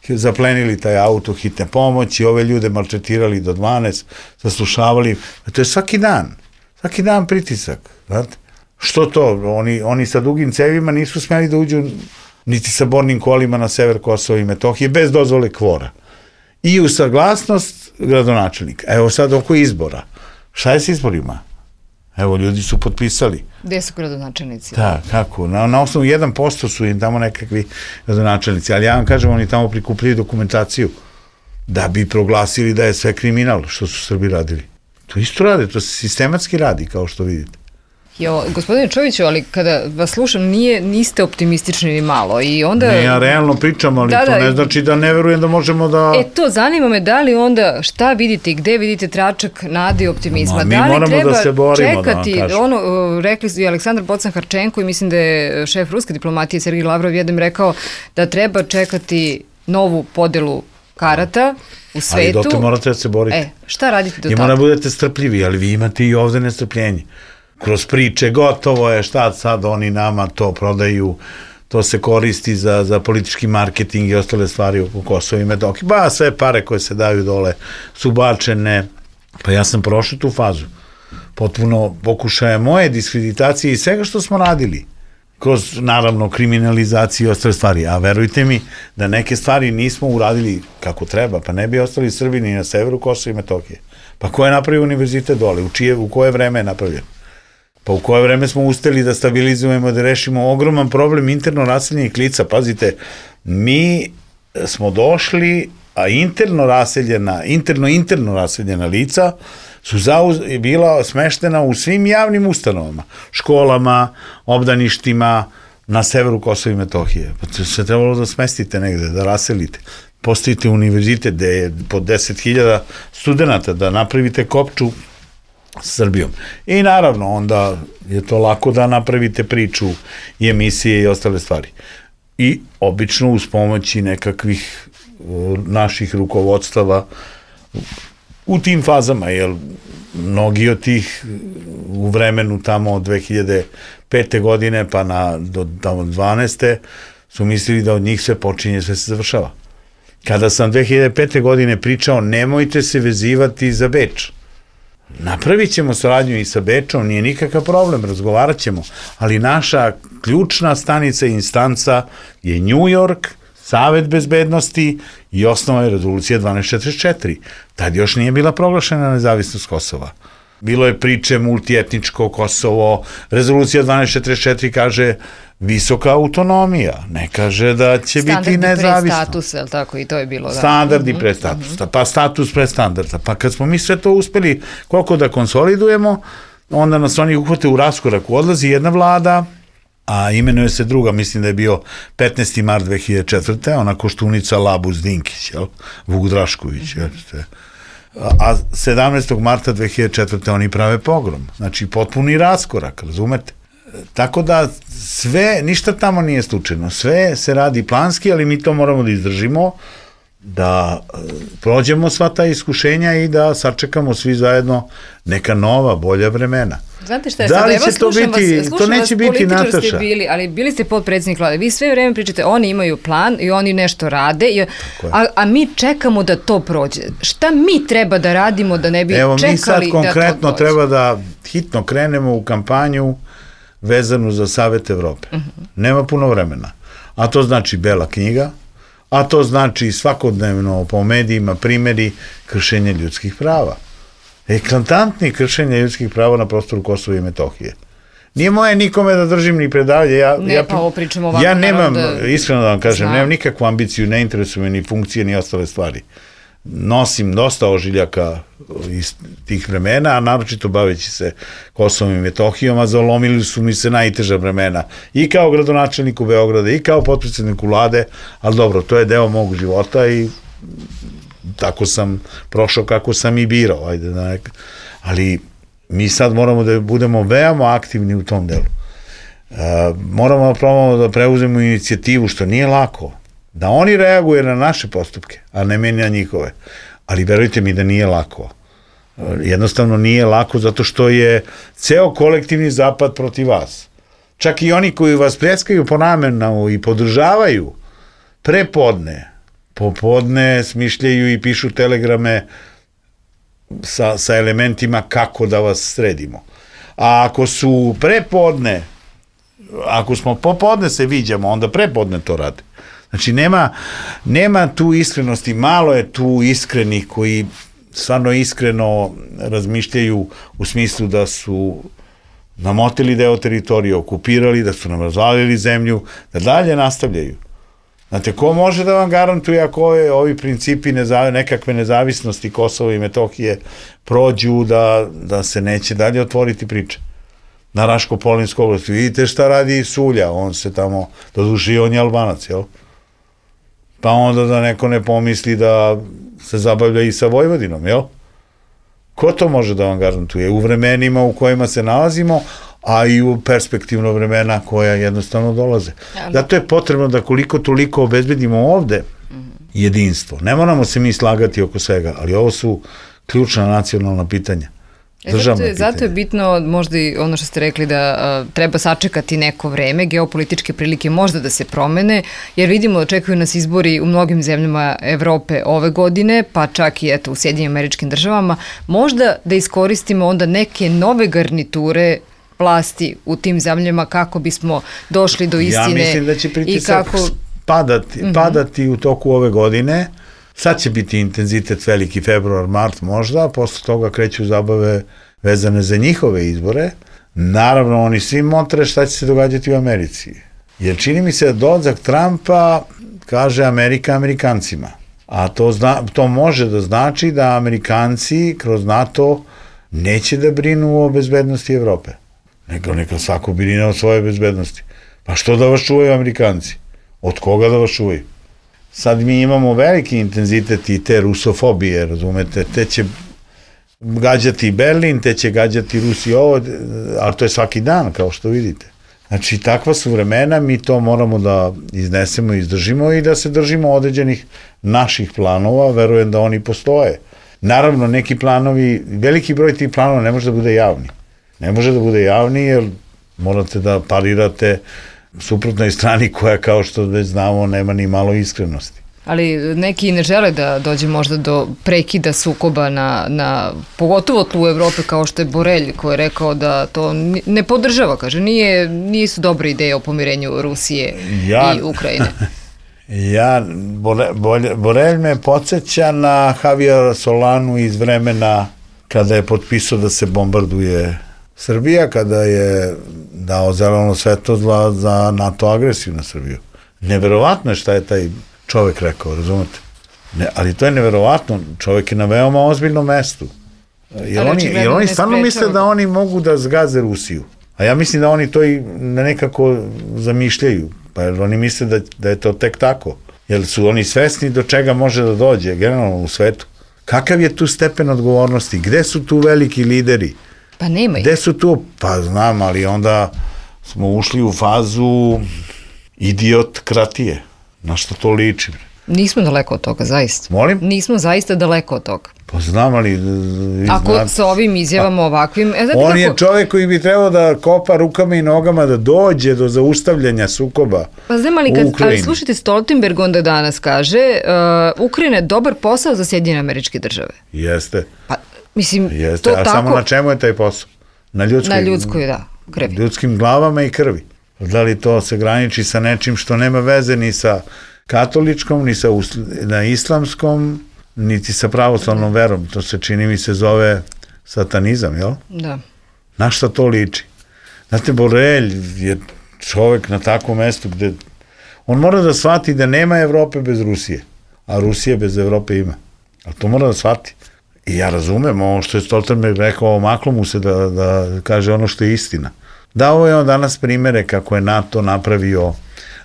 S4: zaplenili taj auto hitne pomoći, ove ljude maltretirali do 12, zaslušavali. To je svaki dan pritisak. Znate? Što to? Oni sa dugim cevima nisu smeli da uđu niti sa bornim kolima na sever Kosova i Metohije bez dozvole kvora. I u saglasnost gradonačelnika. Evo sad oko izbora. Šta je s izborima? Evo, ljudi su potpisali.
S2: Gde su gradonačelnici?
S4: Da, kako? Na osnovu 1% su im tamo nekakvi gradonačelnici, ali ja vam kažem, oni tamo prikupili dokumentaciju da bi proglasili da je sve kriminal što su Srbi radili. To isto rade, to se sistematski radi, kao što vidite.
S2: Gospodine Čoviću, ali kada vas slušam, niste optimistični ni malo i onda...
S4: Ne, ja realno pričam, ali to ne znači da ne verujem da možemo da...
S2: To zanima me, da li onda, šta vidite i gde vidite tračak nade i optimizma?
S4: Mi moramo da se borimo, da vam kažem.
S2: Rekli su i Aleksandar Bocan-Harčenko i mislim da je šef ruske diplomatije Sergij Lavrov jednom rekao da treba čekati novu podelu karata u svetu.
S4: Ali dotle morate da se borite.
S2: Šta radite do tada?
S4: I mora budete strpljivi, ali vi imate i ovde nestrpljenje. Kroz priče, gotovo je, šta sad oni nama to prodaju, to se koristi za politički marketing i ostale stvari oko Kosova i Metohije. Ba, sve pare koje se daju dole su bačene. Pa ja sam prošao tu fazu. Potpuno pokušaje moje diskreditacije i svega što smo radili. Kroz, naravno, kriminalizaciju i ostale stvari. A verujte mi da neke stvari nismo uradili kako treba, pa ne bi ostali Srbi ni na severu Kosova i Metohije. Pa ko je napravio univerzitet dole? U koje vreme je napravljen? Pa u koje vreme smo uspeli da stabilizujemo, da rešimo ogroman problem interno raseljenih lica. Pazite, mi smo došli, a interno raseljena lica su bila smeštena u svim javnim ustanovama, školama, obdaništima na severu Kosova i Metohije. Pa to se trebalo da smestite negde, da raselite. Postavite univerzitet gde je po 10.000 studenta, da napravite kopču Srbijom. I naravno, onda je to lako da napravite priču i emisije i ostale stvari. I obično uz pomoći nekakvih naših rukovodstava u tim fazama, jer mnogi od tih u vremenu tamo od 2005. godine pa do tamo 12. su mislili da od njih sve počinje, sve se završava. Kada sam 2005. godine pričao, nemojte se vezivati za Beč. Napravit ćemo saradnju i sa Bečom, nije nikakav problem, razgovarat ćemo, ali naša ključna stanica i instanca je New York, Savet bezbednosti i osnova je rezolucija 1244. Tad još nije bila proglašena nezavisnost Kosova. Bilo je priče multietničko Kosovo, rezolucija 1244 kaže visoka autonomija, ne kaže da će biti nezavisno.
S2: Standardi pre statusa, je li tako, i to je bilo?
S4: Standardi pre statusa, pa status pre standarda, pa kad smo mi sve to uspeli koliko da konsolidujemo, onda nas oni uhvate u raskoraku, odlazi jedna vlada, a imenuje se druga, mislim da je bio 15. mart 2004. Ona Koštunica Labus Dinkić, Vuk Drašković, a 17. marta 2004. oni prave pogrom, znači potpuni raskorak, razumete? Tako da sve, ništa tamo nije slučajno, sve se radi planski, ali mi to moramo da izdržimo, da prođemo sva ta iskušenja i da sačekamo svi zajedno neka nova, bolja vremena.
S2: Znate šta je,
S4: da li će to biti, to neće biti, Nataša.
S2: Ali bili ste podpredsjednik vlade, vi sve vreme pričate, oni imaju plan i oni nešto rade, a mi čekamo da to prođe. Šta mi treba da radimo da ne bi čekali da to prođe?
S4: Evo mi sad konkretno treba da hitno krenemo u kampanju vezanu za Savet Evrope. Nema puno vremena. A to znači Bela knjiga, a to znači svakodnevno po medijima primjeri kršenja ljudskih prava. Eklatantni kršenja ljudskih prava na prostoru Kosova i Metohije. Nije moje nikome da držim ni predavlje. Ja nemam, iskreno da vam kažem, nemam nikakvu ambiciju, ne interesuju me ni funkcije, ni ostale stvari. Nosim dosta ožiljaka iz tih vremena, a naročito baveći se Kosovom i Metohijom, a zalomili su mi se najteža vremena. I kao gradonačelniku Beograda, i kao potpredsjedniku vlade, ali dobro, to je deo mog života i tako sam prošao kako sam i birao. Ali mi sad moramo da budemo veoma aktivni u tom delu. Moramo da preuzemo inicijativu, što nije lako, da oni reaguje na naše postupke, a ne meni na njihove. Ali verujte mi da nije lako. Jednostavno nije lako zato što je ceo kolektivni zapad protiv vas. Čak i oni koji vas pljeskaju po ramenu i podržavaju prepodne, popodne smišljaju i pišu telegrame sa elementima kako da vas sredimo. A ako su prepodne, ako smo popodne se viđamo, onda prepodne to rade. Znači, nema tu iskrenosti, malo je tu iskrenih koji stvarno iskreno razmišljaju u smislu da su namotili deo teritorije, okupirali, da su nam razvalili zemlju, da dalje nastavljaju. Znate, ko može da vam garantuje ako ovi principi nekakve nezavisnosti Kosova i Metohije prođu da se neće dalje otvoriti priče? Na Raško-Polinskoj oblasti. Vidite šta radi Sulja, on se tamo, doduše on je Albanac, jel? Pa onda da neko ne pomisli da se zabavlja i sa Vojvodinom, jel? Ko to može da vam garantuje? U vremenima u kojima se nalazimo, a i u perspektivno vremena koja jednostavno dolaze. Zato je potrebno da koliko toliko obezbedimo ovde jedinstvo. Ne moramo se mi slagati oko svega, ali ovo su ključna nacionalna pitanja.
S2: Zato je bitno možda i ono što ste rekli da treba sačekati neko vreme, geopolitičke prilike možda da se promene, jer vidimo da očekuju nas izbori u mnogim zemljama Evrope ove godine, pa čak i u Sjedinjenim Američkim Državama, možda da iskoristimo onda neke nove garniture vlasti u tim zemljama kako bismo došli do istine.
S4: Ja mislim da će pritisak padati u toku ove godine. Sad će biti intenzitet veliki februar, mart možda, a posle toga kreću zabave vezane za njihove izbore. Naravno, oni svi motre šta će se događati u Americi. Jer čini mi se da dolazak Trumpa kaže Amerika Amerikancima. A to može da znači da Amerikanci kroz NATO neće da brinu o bezbednosti Evrope. Neka svako brine o svojoj bezbednosti. Pa što da vas čuvaju Amerikanci? Od koga da vas čuvaju? Sad mi imamo veliki intenzitet i te rusofobije, razumete, te će gađati Berlin, te će gađati Rusiju ovo, ali to je svaki dan, kao što vidite. Znači, takva su vremena, mi to moramo da iznesemo i izdržimo i da se držimo određenih naših planova, verujem da oni postoje. Naravno, neki planovi, veliki broj tih planova ne može da bude javni. Ne može da bude javni jer morate da parirate suprotnoj strani koja, kao što već znamo, nema ni malo iskrenosti.
S2: Ali neki ne žele da dođe možda do prekida sukoba pogotovo tlu u Evrope, kao što je Borelj, koji je rekao da to ne podržava, kaže, nisu dobre ideje o pomirenju Rusije i Ukrajine.
S4: Borelj me podsjeća na Javiera Solanu iz vremena kada je potpisao da se bombarduje Srbija, kada je dao zeleno svetlo za NATO agresiju na Srbiju. Neverovatno je šta je taj čovek rekao, razumete? Ali to je neverovatno, čovek je na veoma ozbiljnom mestu. Jer oni stvarno misle da oni mogu da zgaze Rusiju. A ja mislim da oni to i nekako zamišljaju. Pa jer oni misle da je to tek tako. Jer su oni svesni do čega može da dođe generalno u svetu. Kakav je tu stepen odgovornosti? Gde su tu veliki lideri?
S2: Pa nema ih.
S4: Gde su tu? Pa znam, ali onda smo ušli u fazu idiokratije. Na što to liči?
S2: Nismo daleko od toga, zaista.
S4: Molim?
S2: Nismo zaista daleko od toga.
S4: Pa znam, ali...
S2: Ako sa ovim izjavama ovakvim...
S4: On je čovjek koji bi trebao da kopa rukama i nogama da dođe do zaustavljanja sukoba
S2: pa znam, ali slušajte, Stoltenberg onda danas kaže Ukrajina je dobar posao za Sjedinjene Američke Države.
S4: Jeste.
S2: Pa, mislim,
S4: jeste,
S2: to
S4: a
S2: tako...
S4: samo na čemu je taj posao? Na
S2: ljudskoj, da, krvi.
S4: Ljudskim glavama i krvi. Da li to se graniči sa nečim što nema veze ni sa katoličkom, ni sa na islamskom, niti sa pravoslavnom verom. To se čini mi se zove satanizam, jel?
S2: Da.
S4: Na šta to liči? Znate, Borelj je čovek na takvom mestu gde on mora da shvati da nema Evrope bez Rusije, a Rusije bez Evrope ima. A to mora da shvati. I ja razumem ovo što je Stoltenberg rekao, omaklo mu se da kaže ono što je istina. Dao je on danas primere kako je NATO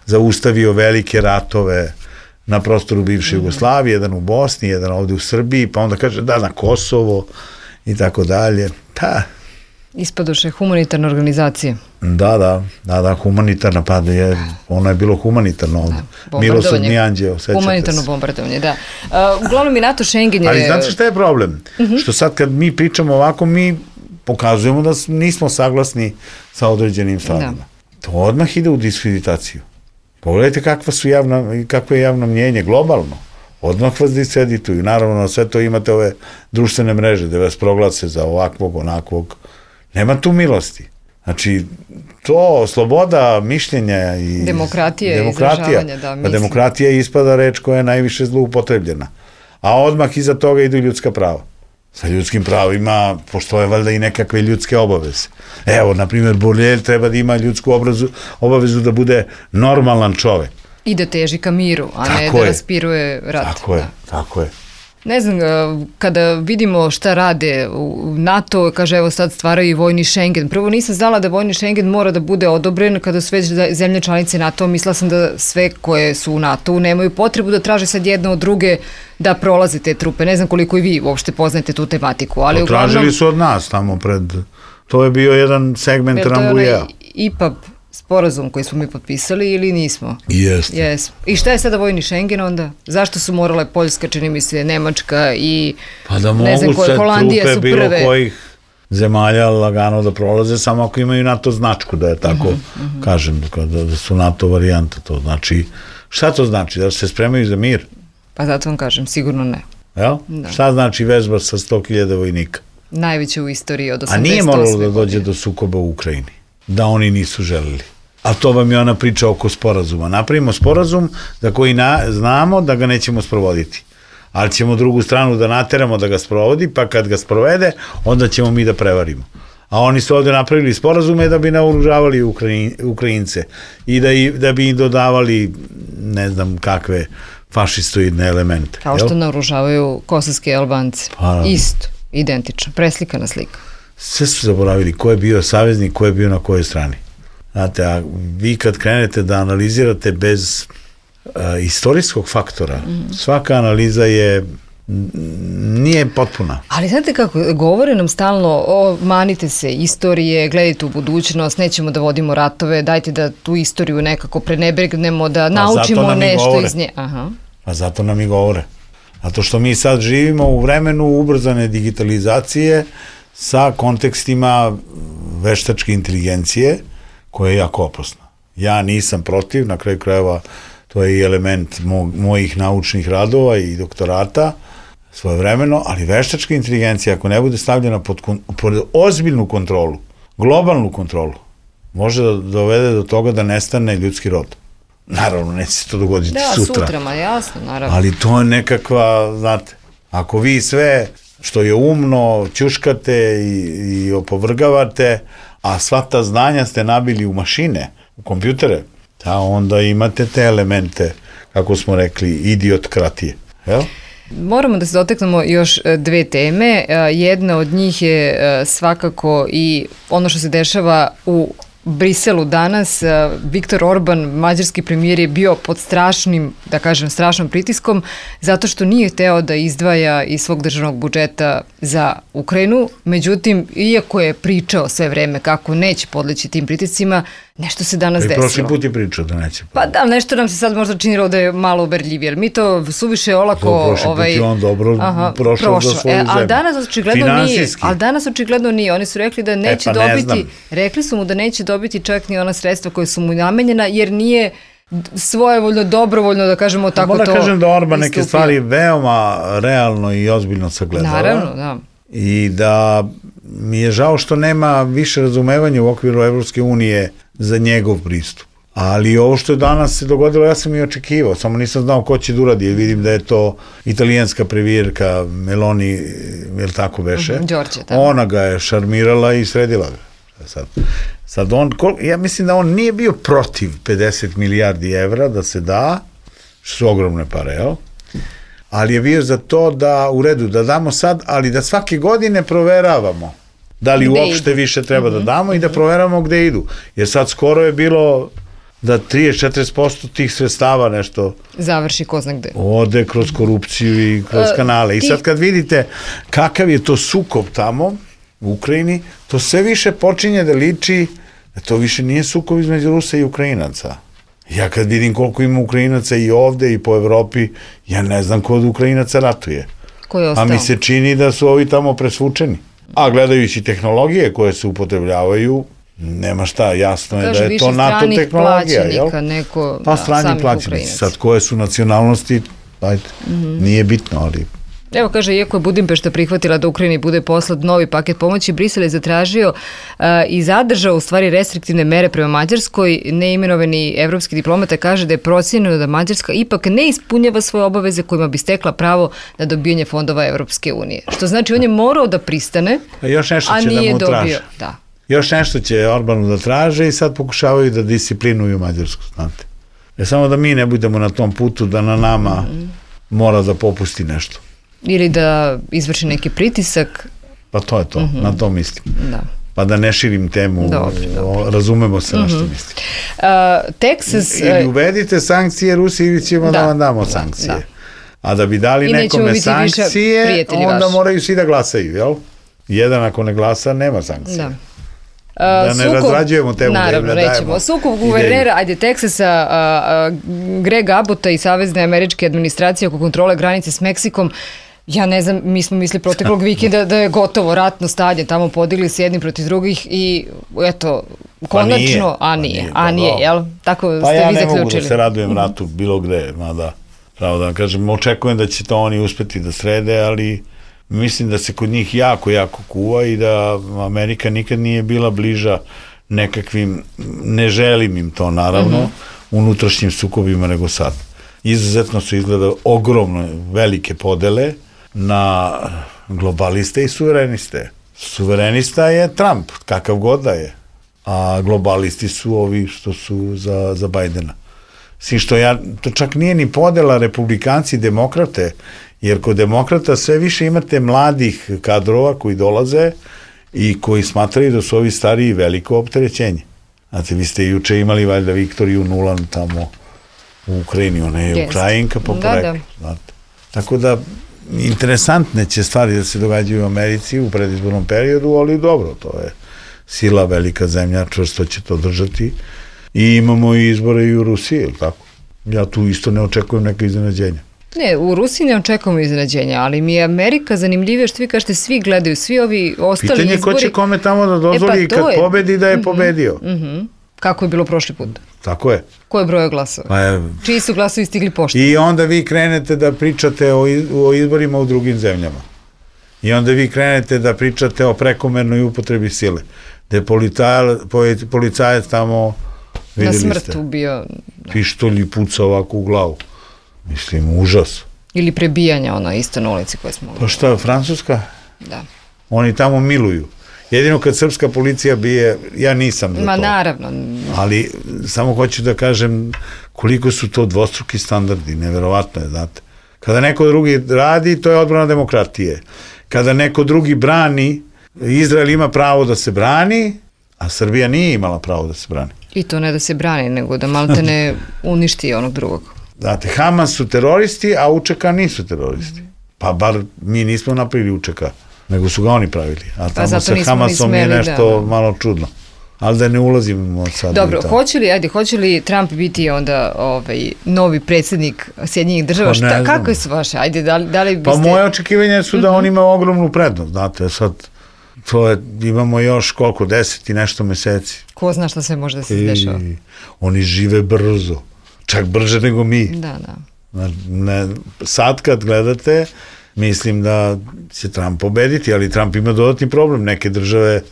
S4: zaustavio velike ratove na prostoru bivše Jugoslavije, jedan u Bosni, jedan ovde u Srbiji, pa onda kaže da na Kosovo i tako dalje. Pa...
S2: Ispadoše humanitarna organizacija.
S4: Da, humanitarna, pa ono je bilo humanitarno ovde. Milosrdni anđeo, sećate se.
S2: Humanitarno bombardovanje, da. Uglavnom i NATO Schengen je...
S4: Ali znate šta je problem? Što sad kad mi pričamo ovako, mi pokazujemo da nismo saglasni sa određenim stvarima. To odmah ide u diskreditaciju. Pogledajte kakvo je javno mnjenje globalno. Odmah vas diskredituju. Naravno, na sve to imate ove društvene mreže da vas proglase za ovakvog, onakvog. Nema tu milosti. Znači, to sloboda mišljenja i...
S2: Demokratija, izražavanja, da, mislim.
S4: Demokratija ispada reč koja je najviše zloupotrebljena. A odmah iza toga idu ljudska prava. Sa ljudskim pravima postoje valjda i nekakve ljudske obaveze. Evo, na primjer, Borelj treba da ima ljudsku obavezu da bude normalan čovek.
S2: I da teži ka miru, a ne da raspiruje rat.
S4: Tako je.
S2: Ne znam, kada vidimo šta rade u NATO, kaže evo sad stvaraju i vojni Schengen. Prvo nisam znala da vojni Schengen mora da bude odobren kada su već zemlje članice NATO. Mislila sam da sve koje su u NATO-u nemaju potrebu da traže sad jedna od druge da prolaze te trupe. Ne znam koliko i vi uopšte poznajete tu tematiku. Ali
S4: tražili su od nas tamo pred... To je bio jedan segment Rambujea.
S2: IPAB sporazum koji smo mi potpisali ili nismo?
S4: Jeste.
S2: I šta je sada vojni Schengen onda? Zašto su morale Poljska, čini mi se, Nemačka i ne znam koje, Holandija su prve?
S4: Bilo kojih zemalja lagano da prolaze, samo ako imaju NATO značku, da je tako kažem, da su NATO varijanta. To znači, šta to znači? Da se spremaju za mir?
S2: Pa zato vam kažem, sigurno ne.
S4: Jel? Šta znači vežba sa 100.000 vojnika?
S2: Najveće u istoriji od 88.
S4: A nije moralo da dođe do sukoba u Ukrajini? Da oni nisu želeli. A to vam je ona priča oko sporazuma. Napravimo sporazum za koji znamo da ga nećemo sprovoditi. Ali ćemo drugu stranu da nateramo da ga sprovodi, pa kad ga sprovede, onda ćemo mi da prevarimo. A oni su ovde napravili sporazume da bi naoružavali Ukrajince i da bi im dodavali ne znam kakve fašistoidne elemente.
S2: Kao što naoružavaju kosovske Albance. Isto, identično, preslikana slika.
S4: Sve su zaboravili ko je bio saveznik, ko je bio na kojoj strani. Znate, a vi kad krenete da analizirate bez istorijskog faktora, svaka analiza nije potpuna.
S2: Ali znate kako, govore nam stalno, manite se istorije, gledajte u budućnost, nećemo da vodimo ratove, dajte da tu istoriju nekako prenebregnemo, da naučimo nešto iz nje.
S4: Pa zato nam i govore. Zato što mi sad živimo u vremenu ubrzane digitalizacije, sa kontekstima veštačke inteligencije, koja je jako opasna. Ja nisam protiv, na kraju krajeva to je i element mojih naučnih radova i doktorata svojevremeno, ali veštačka inteligencija, ako ne bude stavljena pod ozbiljnu kontrolu, globalnu kontrolu, može da dovede do toga da nestane ljudski rod. Naravno, neće se to dogoditi sutra.
S2: Da, sutra, jasno, naravno.
S4: Ali to je nekakva, znate, ako vi sve što je umno, ćuškate i opovrgavate, a sva ta znanja ste nabili u mašine, u kompjutere, onda imate te elemente, kako smo rekli, idiotkratije. Jel?
S2: Moramo da se dotaknemo još dve teme. Jedna od njih je svakako i ono što se dešava u Briselu danas. Viktor Orban, mađarski premijer, je bio pod strašnom pritiskom zato što nije hteo da izdvaja iz svog državnog budžeta za Ukrajinu. Međutim, iako je pričao sve vreme kako neće podleći tim pritiscima, nešto se danas desilo.
S4: Prošli put je pričao da neće.
S2: Pa da, nešto nam se sad možda činilo da je malo uberljivije, jer mi to suviše olako...
S4: Prošli put je on dobro prošao za svoju zemlju.
S2: Ali danas očigledno nije. Oni su rekli da neće dobiti, rekli su mu da neće dobiti čak ni ona sredstva koje su mu namenjena, jer nije svojevoljno, dobrovoljno, da kažemo tako to istupio.
S4: Moram kažem da Orban neke stvari veoma realno i ozbiljno sagledava.
S2: Naravno, da.
S4: I da mi je žao što nema više razumevanja u okviru Evropske unije za njegov pristup. Ali ovo što je danas se dogodilo, ja sam i očekivao, samo nisam znao ko će da uradi, jer vidim da je to italijanska premijerka Meloni, jel tako beše?
S2: Đorđe, da.
S4: Ona ga je šarmirala i sredila ga. Sad on, ja mislim da on nije bio protiv 50 milijardi evra da se da, što su ogromne pare, jel? Ali je bio za to da, u redu, da damo sad, ali da svake godine proveravamo da li uopšte više treba da damo i da proveravamo gde idu. Jer sad skoro je bilo da 30-40% tih sredstava nešto
S2: završi ko zna gde.
S4: Ode kroz korupciju i kroz kanale. I sad kad vidite kakav je to sukob tamo u Ukrajini, to sve više počinje da liči da to više nije sukob između Rusa i Ukrajinaca. Ja kad vidim koliko ima Ukrajinaca i ovde i po Evropi, ja ne znam ko od Ukrajinaca ratuje.
S2: Ko je ostao?
S4: A mi se čini da su ovi tamo presvučeni. A gledajući tehnologije koje se upotrebljavaju, nema šta, jasno je da je to NATO tehnologija. Pa strani plaćenici, sad koje su nacionalnosti, nije bitno, ali...
S2: Evo kaže, iako je Budimpešta prihvatila da Ukrajini bude poslat novi paket pomoći, Brisel je zatražio i zadržao u stvari restriktivne mere prema Mađarskoj. Neimenovani evropski diplomata kaže da je procenjeno da Mađarska ipak ne ispunjava svoje obaveze kojima bi stekla pravo na dobijanje fondova Evropske unije. Što znači on je morao da pristane, a nije dobio. Da.
S4: Još nešto će Orbanu da traže i sad pokušavaju da disciplinuju Mađarsku, znate. Samo da mi ne budemo na tom putu da na nama mora da popusti nešto.
S2: Ili da izvrši neki pritisak.
S4: Pa to je to, na to mislim. Da. Pa da ne širim temu, razumemo se na što mislim.
S2: Texas...
S4: Ili uvedite sankcije Rusiji ili ćemo da vam damo sankcije. Da. A da bi dali nekome sankcije, onda moraju svi da glasaju, jel? Jedan ako ne glasa, nema sankcije. Da. Da ne razrađujemo temu.
S2: Naravno, rećemo. Sukob guvernera, Texasa, Greg Abbotta i Savezne američke administracije oko kontrole granice s Meksikom. Ja ne znam, mi smo mislili proteklog vikenda da je gotovo ratno stanje, tamo podigli se jedni protiv drugih i eto, konačno, a nije, jel? Tako ste vi zaključili.
S4: Pa ja ne mogu da se radujem ratu bilo gde, mada, pravo da vam kažem, očekujem da će to oni uspeti da srede, ali mislim da se kod njih jako, jako kuva i da Amerika nikad nije bila bliža nekakvim, ne želim im to naravno, unutrašnjim sukobima nego sad. Izuzetno su izgleda ogromno velike podele na globaliste i suvereniste. Suverenista je Trump, kakav god da je, a globalisti su ovi što su za Bajdena. Svi što to čak nije ni podela republikanci i demokrate, jer kod demokrata sve više imate mladih kadrova koji dolaze i koji smatraju da su ovi stariji veliko opterećenje. Znate, vi ste juče imali valjda Viktoriju Nuland tamo u Ukrajini, ona je Ukrajinka po poreklu. Tako da, interesantne će stvari da se događaju u Americi u predizbornom periodu, ali dobro, to je sila, velika zemlja, čvrsto će to držati. I imamo i izbore i u Rusiji, ili tako? Ja tu isto ne očekujem neka iznenađenja.
S2: Ne, u Rusiji ne očekujemo iznenađenja, ali mi je Amerika zanimljivije što vi kažete, svi gledaju, svi ovi ostali izbori.
S4: Pitanje ko će kome tamo da dozvoli kad pobedi da je pobedio.
S2: Kako je bilo prošli put?
S4: Tako je.
S2: Ko je broj glasova? Čiji su glasovi stigli pošto?
S4: I onda vi krenete da pričate o izborima u drugim zemljama. I onda vi krenete da pričate o prekomernoj upotrebi sile. Da je policajac tamo,
S2: na smrt ubio.
S4: Pištolj i puca ovako u glavu. Mislim, užas.
S2: Ili prebijanja, ono, isto na ulici koje smo...
S4: Pa šta, Francuska?
S2: Da.
S4: Oni tamo miluju. Jedino kad srpska policija bije, ja nisam za to.
S2: Ma naravno.
S4: Ali samo hoću da kažem koliko su to dvostruki standardi, neverovatno je, znate. Kada neko drugi radi, to je odbrana demokratije. Kada neko drugi brani, Izrael ima pravo da se brani, a Srbija nije imala pravo da se brani.
S2: I to ne da se brani, nego da malte ne uništi onog drugog.
S4: Znate, Hamas su teroristi, a UČK nisu teroristi. Pa bar mi nismo napravili UČK, nego su ga oni pravili. A tamo sa Hamasom je nešto malo čudno. Ali da ne ulazimo sad.
S2: Dobro, hoće li Trump biti onda novi predsjednik Sjedinjenih država? Kako su vaše? Ajde, da li biste...
S4: Pa moje očekivanje su da on ima ogromnu prednost, znate, sad imamo još koliko, 10 i nešto meseci.
S2: Ko zna šta sve može da se dešava?
S4: Oni žive brzo, čak brže nego mi.
S2: Da.
S4: Sad kad gledate, mislim da će Trump pobediti, ali Trump ima dodatni problem, neke države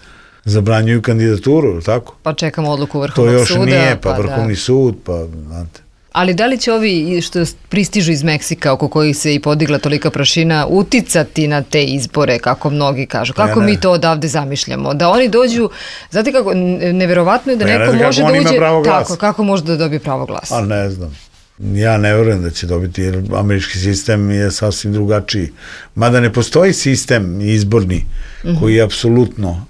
S4: zabranjuju kandidaturu, tako?
S2: Pa čekamo odluku Vrhovnog suda.
S4: To još nije, pa Vrhovni sud, pa znate.
S2: Ali da li će ovi što pristižu iz Meksika, oko kojih se i podigla tolika prašina, uticati na te izbore, kako mnogi kažu? Kako mi to odavde zamišljamo? Da oni dođu, znate kako, neverovatno je da neko može da uđe... Tako, kako može da dobije pravo glasa?
S4: A ne znam. Ja ne verujem da će dobiti, jer američki sistem je sasvim drugačiji. Mada ne postoji sistem izborni koji je apsolutno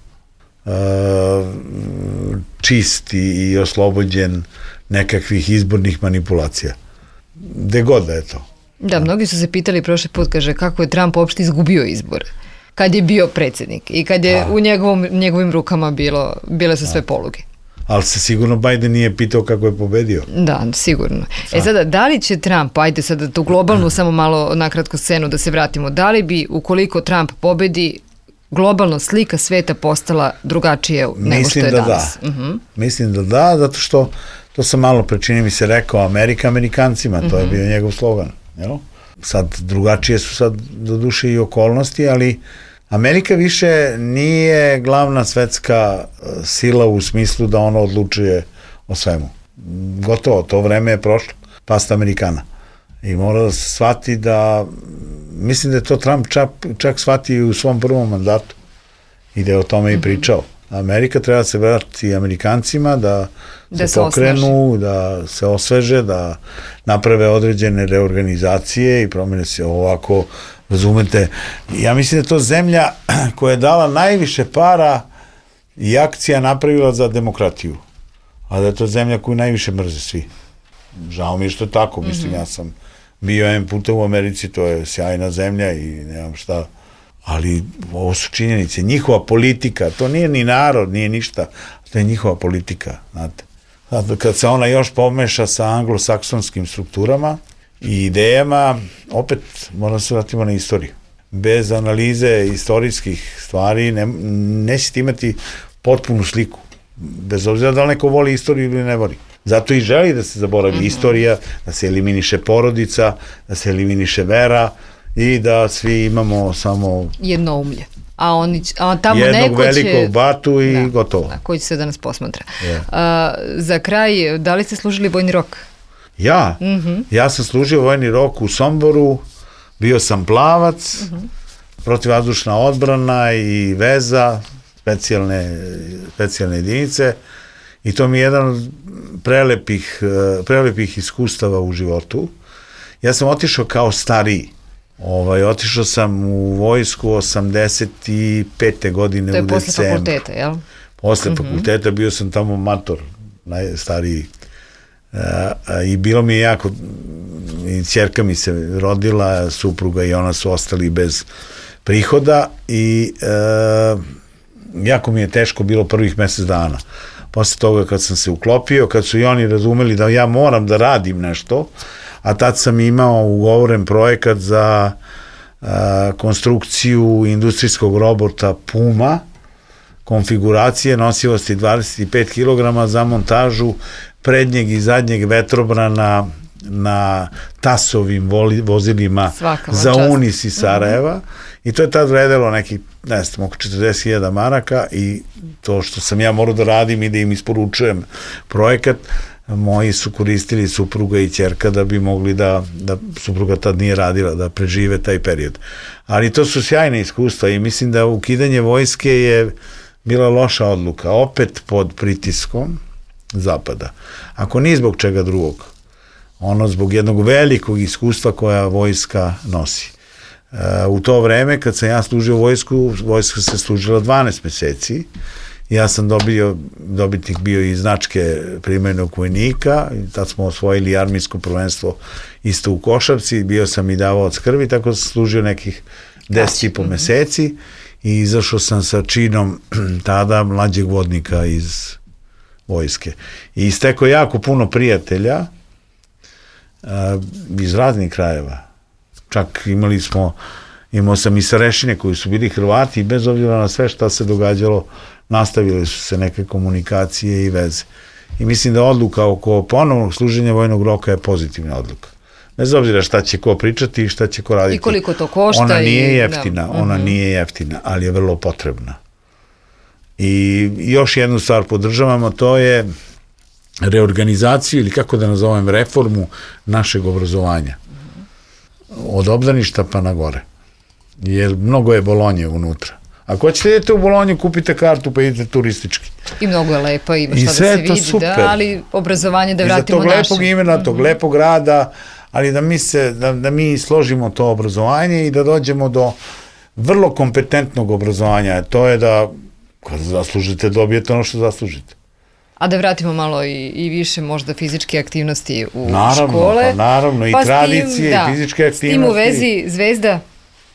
S4: čist i oslobođen nekakvih izbornih manipulacija. Gde god da je to.
S2: Da, mnogi su se pitali prošli put, kaže, kako je Trump uopšte izgubio izbor kad je bio predsjednik i kad je u njegovim rukama bile su sve poluge.
S4: Ali se sigurno Biden nije pitao kako je pobedio.
S2: Da, sigurno. Sada, da li će Trump, ajde sada tu globalnu samo malo nakratko scenu da se vratimo, da li bi ukoliko Trump pobedi globalno slika sveta postala drugačije nego što je danas?
S4: Mislim da da, zato što to sam malo pre čini mi se rekao Amerika Amerikancima, to je bio njegov slogan. Sad drugačije su sad do duše i okolnosti, ali Amerika više nije glavna svetska sila u smislu da ona odlučuje o svemu. Gotovo, to vreme je prošlo, pasta Amerikana. I mora da se shvati da, mislim da je to Trump čak shvati u svom prvom mandatu i da je o tome i pričao. Amerika treba se vrati Amerikancima da se pokrenu, da se osveže, da naprave određene reorganizacije i promene se ovako, razumete. Ja mislim da je to zemlja koja je dala najviše para i akcija napravila za demokratiju, a da je to zemlja koju najviše mrze svi. Žao mi je što je tako, mislim, ja sam bio jedan puta u Americi, to je sjajna zemlja i nemam šta, ali ovo su činjenice. Njihova politika, to nije ni narod, nije ništa, to je njihova politika, znate. Kad se ona još pomeša sa anglosaksonskim strukturama i idejama, opet moramo se vratimo na istoriju. Bez analize istorijskih stvari nećete imati potpunu sliku. Bez obzira da li neko voli istoriju ili ne voli. Zato i želi da se zaboravi istorija, da se eliminiše porodica, da se eliminiše vera i da svi imamo samo
S2: jednoumlje. A tamo
S4: jednog
S2: neko će...
S4: velikog batu i gotovo.
S2: Koji će se danas posmatra. Za kraj, da li ste služili vojni rok?
S4: Ja sam služio vojni rok u Somboru, bio sam plavac, protivvazdušna odbrana i veza, specijalne jedinice, i to mi je jedan od prelepih iskustava u životu. Ja sam otišao kao stariji. Otišao sam u vojsku 85. godine u decembru.
S2: To je posle fakulteta, jel?
S4: Posle fakulteta, bio sam tamo mator, najstariji. I bilo mi je jako, i ćerka mi se rodila, supruga i ona su ostali bez prihoda i jako mi je teško bilo prvih mesec dana. Posle toga kad sam se uklopio, kad su i oni razumeli da ja moram da radim nešto, a tad sam imao ugovoren projekat za konstrukciju industrijskog robota Puma, konfiguracije nosivosti 25 kg za montažu prednjeg i zadnjeg vetrobrana na TAS-ovim vozilima za Unis iz Sarajeva, i to je tad vredelo nekih, ne znam, oko 40.000 maraka, i to što sam ja morao da radim i da im isporučujem projekat, moji su koristili supruga i ćerka da bi mogli da supruga tad nije radila, da prežive taj period. Ali to su sjajne iskustva i mislim da ukidanje vojske je bila loša odluka, opet pod pritiskom Zapada. Ako nije zbog čega drugog, ono zbog jednog velikog iskustva koja vojska nosi. U to vreme kad sam ja služio vojsku, vojska se služila 12 meseci. Ja sam dobitnik bio i značke primenjenog vojnika, tad smo osvojili armijsko prvenstvo isto u košarci, bio sam i davaoc krvi, tako sam služio nekih 10,5 meseci i izašao sam sa činom tada mlađeg vodnika iz vojske. I istekao jako puno prijatelja iz raznih krajeva. Čak imao sam i starešine koji su bili Hrvati i bez obzira na sve šta se događalo, nastavile su se neke komunikacije i veze. I mislim da odluka oko ponovnog služenja vojnog roka je pozitivna odluka. Bez obzira šta će ko pričati i šta će ko raditi.
S2: I koliko to košta.
S4: Ona nije jeftina, ali je vrlo potrebna. I još jednu stvar podržavamo, to je reorganizaciju ili kako da nazovem reformu našeg obrazovanja. Od obdaništa pa na gore. Jer mnogo je Bolonje unutra. Ako ćete idete u Bolonju, kupite kartu pa idete turistički.
S2: I mnogo je lepo, ima šta da se vidi, da, ali obrazovanje da vratimo naše.
S4: Iza tog lepog imena, tog lepog rada, ali da mi složimo to obrazovanje i da dođemo do vrlo kompetentnog obrazovanja. To je da kad zaslužite, dobijete ono što zaslužite.
S2: A da vratimo malo i više možda fizičke aktivnosti u
S4: škole. Naravno, i tradicije, i fizičke aktivnosti.
S2: S tim u vezi Zvezda?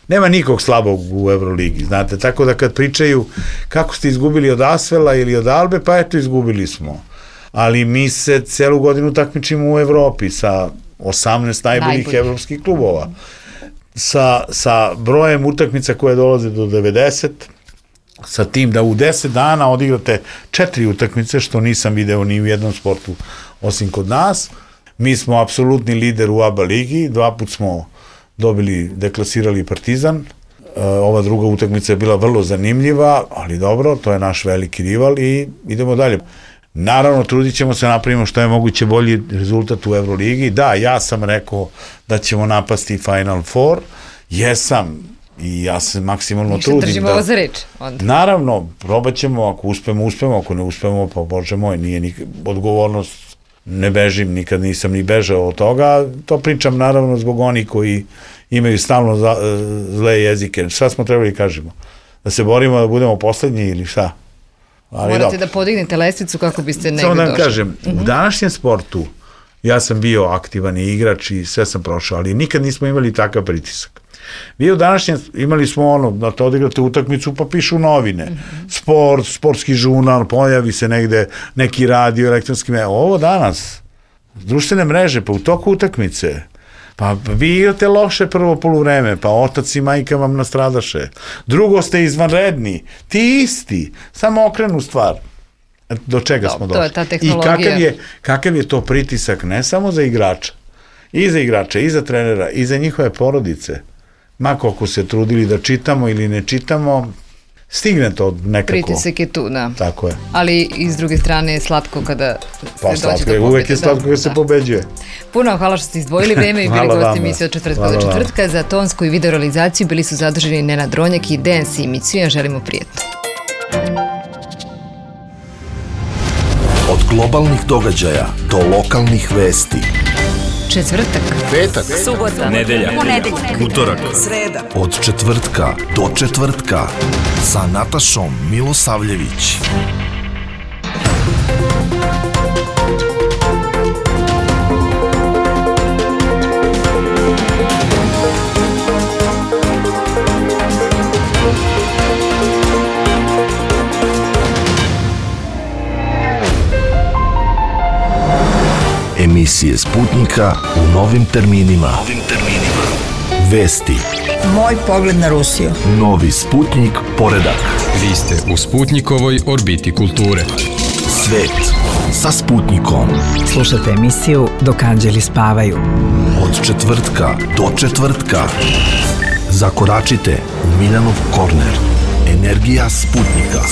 S4: Nema nikog slabog u Euroligi, znate, tako da kad pričaju kako ste izgubili od Asvela ili od Albe, pa eto izgubili smo. Ali mi se celu godinu takmičimo u Evropi sa 18 najboljih evropskih klubova. Sa brojem utakmica koje dolaze do 90, sa tim da u 10 dana odigrate 4 utakmice, što nisam video ni u jednom sportu osim kod nas. Mi smo apsolutni lider u ABA ligi, 2 put smo deklasirali Partizan. Ova druga utakmica je bila vrlo zanimljiva, ali dobro, to je naš veliki rival i idemo dalje. Naravno, trudit ćemo se napravimo što je moguće bolji rezultat u Euroligi. Da, ja sam rekao da ćemo napasti Final Four. Jesam i ja se maksimalno trudim.
S2: Držimo ovo za reč.
S4: Naravno, probat ćemo, ako uspemo, ako ne uspemo, pa Bože moj, nije odgovornost. Ne bežim, nikad nisam ni bežao od toga, to pričam naravno zbog onih koji imaju stalno zle jezike. Šta smo trebali kažemo? Da se borimo da budemo poslednji ili šta?
S2: Morate da podignete lestvicu kako biste negdje došli.
S4: Samo da vam kažem, u današnjem sportu ja sam bio aktivan i igrač i sve sam prošao, ali nikad nismo imali takav pritisak. Vi u današnjem imali smo da to odigrate utakmicu pa pišu novine, sportski žurnal, pojavi se negde neki radio, elektronski medij. Ovo danas, društvene mreže, pa u toku utakmice, pa vi igrate loše prvo poluvreme, pa otac i majka vam nastradaše. Drugo ste izvanredni, ti isti, samo okrenu stvar. Do čega smo došli?
S2: To je ta tehnologija.
S4: I kakav je to pritisak, ne samo za igrača, i za igrača, i za trenera, i za njihove porodice. Ma koliko se trudili da čitamo ili ne čitamo, stigne to nekako.
S2: Pritisak je tu, da.
S4: Tako je.
S2: Ali i s druge strane je slatko kada se dođe do pobjede.
S4: Uvek je slatko kada se pobeđuje.
S2: Puno hvala što ste izdvojili vreme i bili gosti emisije od četvrtka do četvrtka. Za tonsku i video realizaciju bili su zaduženi Nenad Ronjak i Dejan Simić. Svima želimo prijetno.
S1: Od globalnih događaja do lokalnih vesti.
S2: Četvrtak,
S1: petak,
S3: subota, nedelja, utorak,
S1: sreda. Od četvrtka do četvrtka sa Natašom Milosavljević. Emisije Sputnika u novim terminima. Vesti.
S5: Moj pogled na Rusiju.
S1: Novi Sputnik poredak.
S6: Vi ste u Sputnikovoj orbiti kulture.
S1: Svet sa Sputnikom.
S5: Slušajte emisiju Dok anđeli spavaju.
S1: Od četvrtka do četvrtka. Zakoračite u Miljanov korner. Energija Sputnika.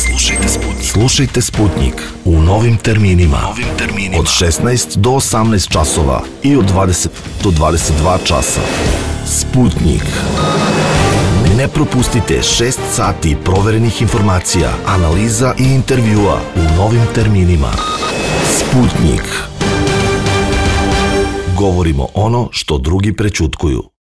S1: Slušajte Sputnik u novim terminima. Od 16 do 18 časova i od 20 do 22 časa. Sputnik. Ne propustite 6 sati proverenih informacija, analiza i intervjua u novim terminima. Sputnik. Govorimo ono što drugi prećutkuju.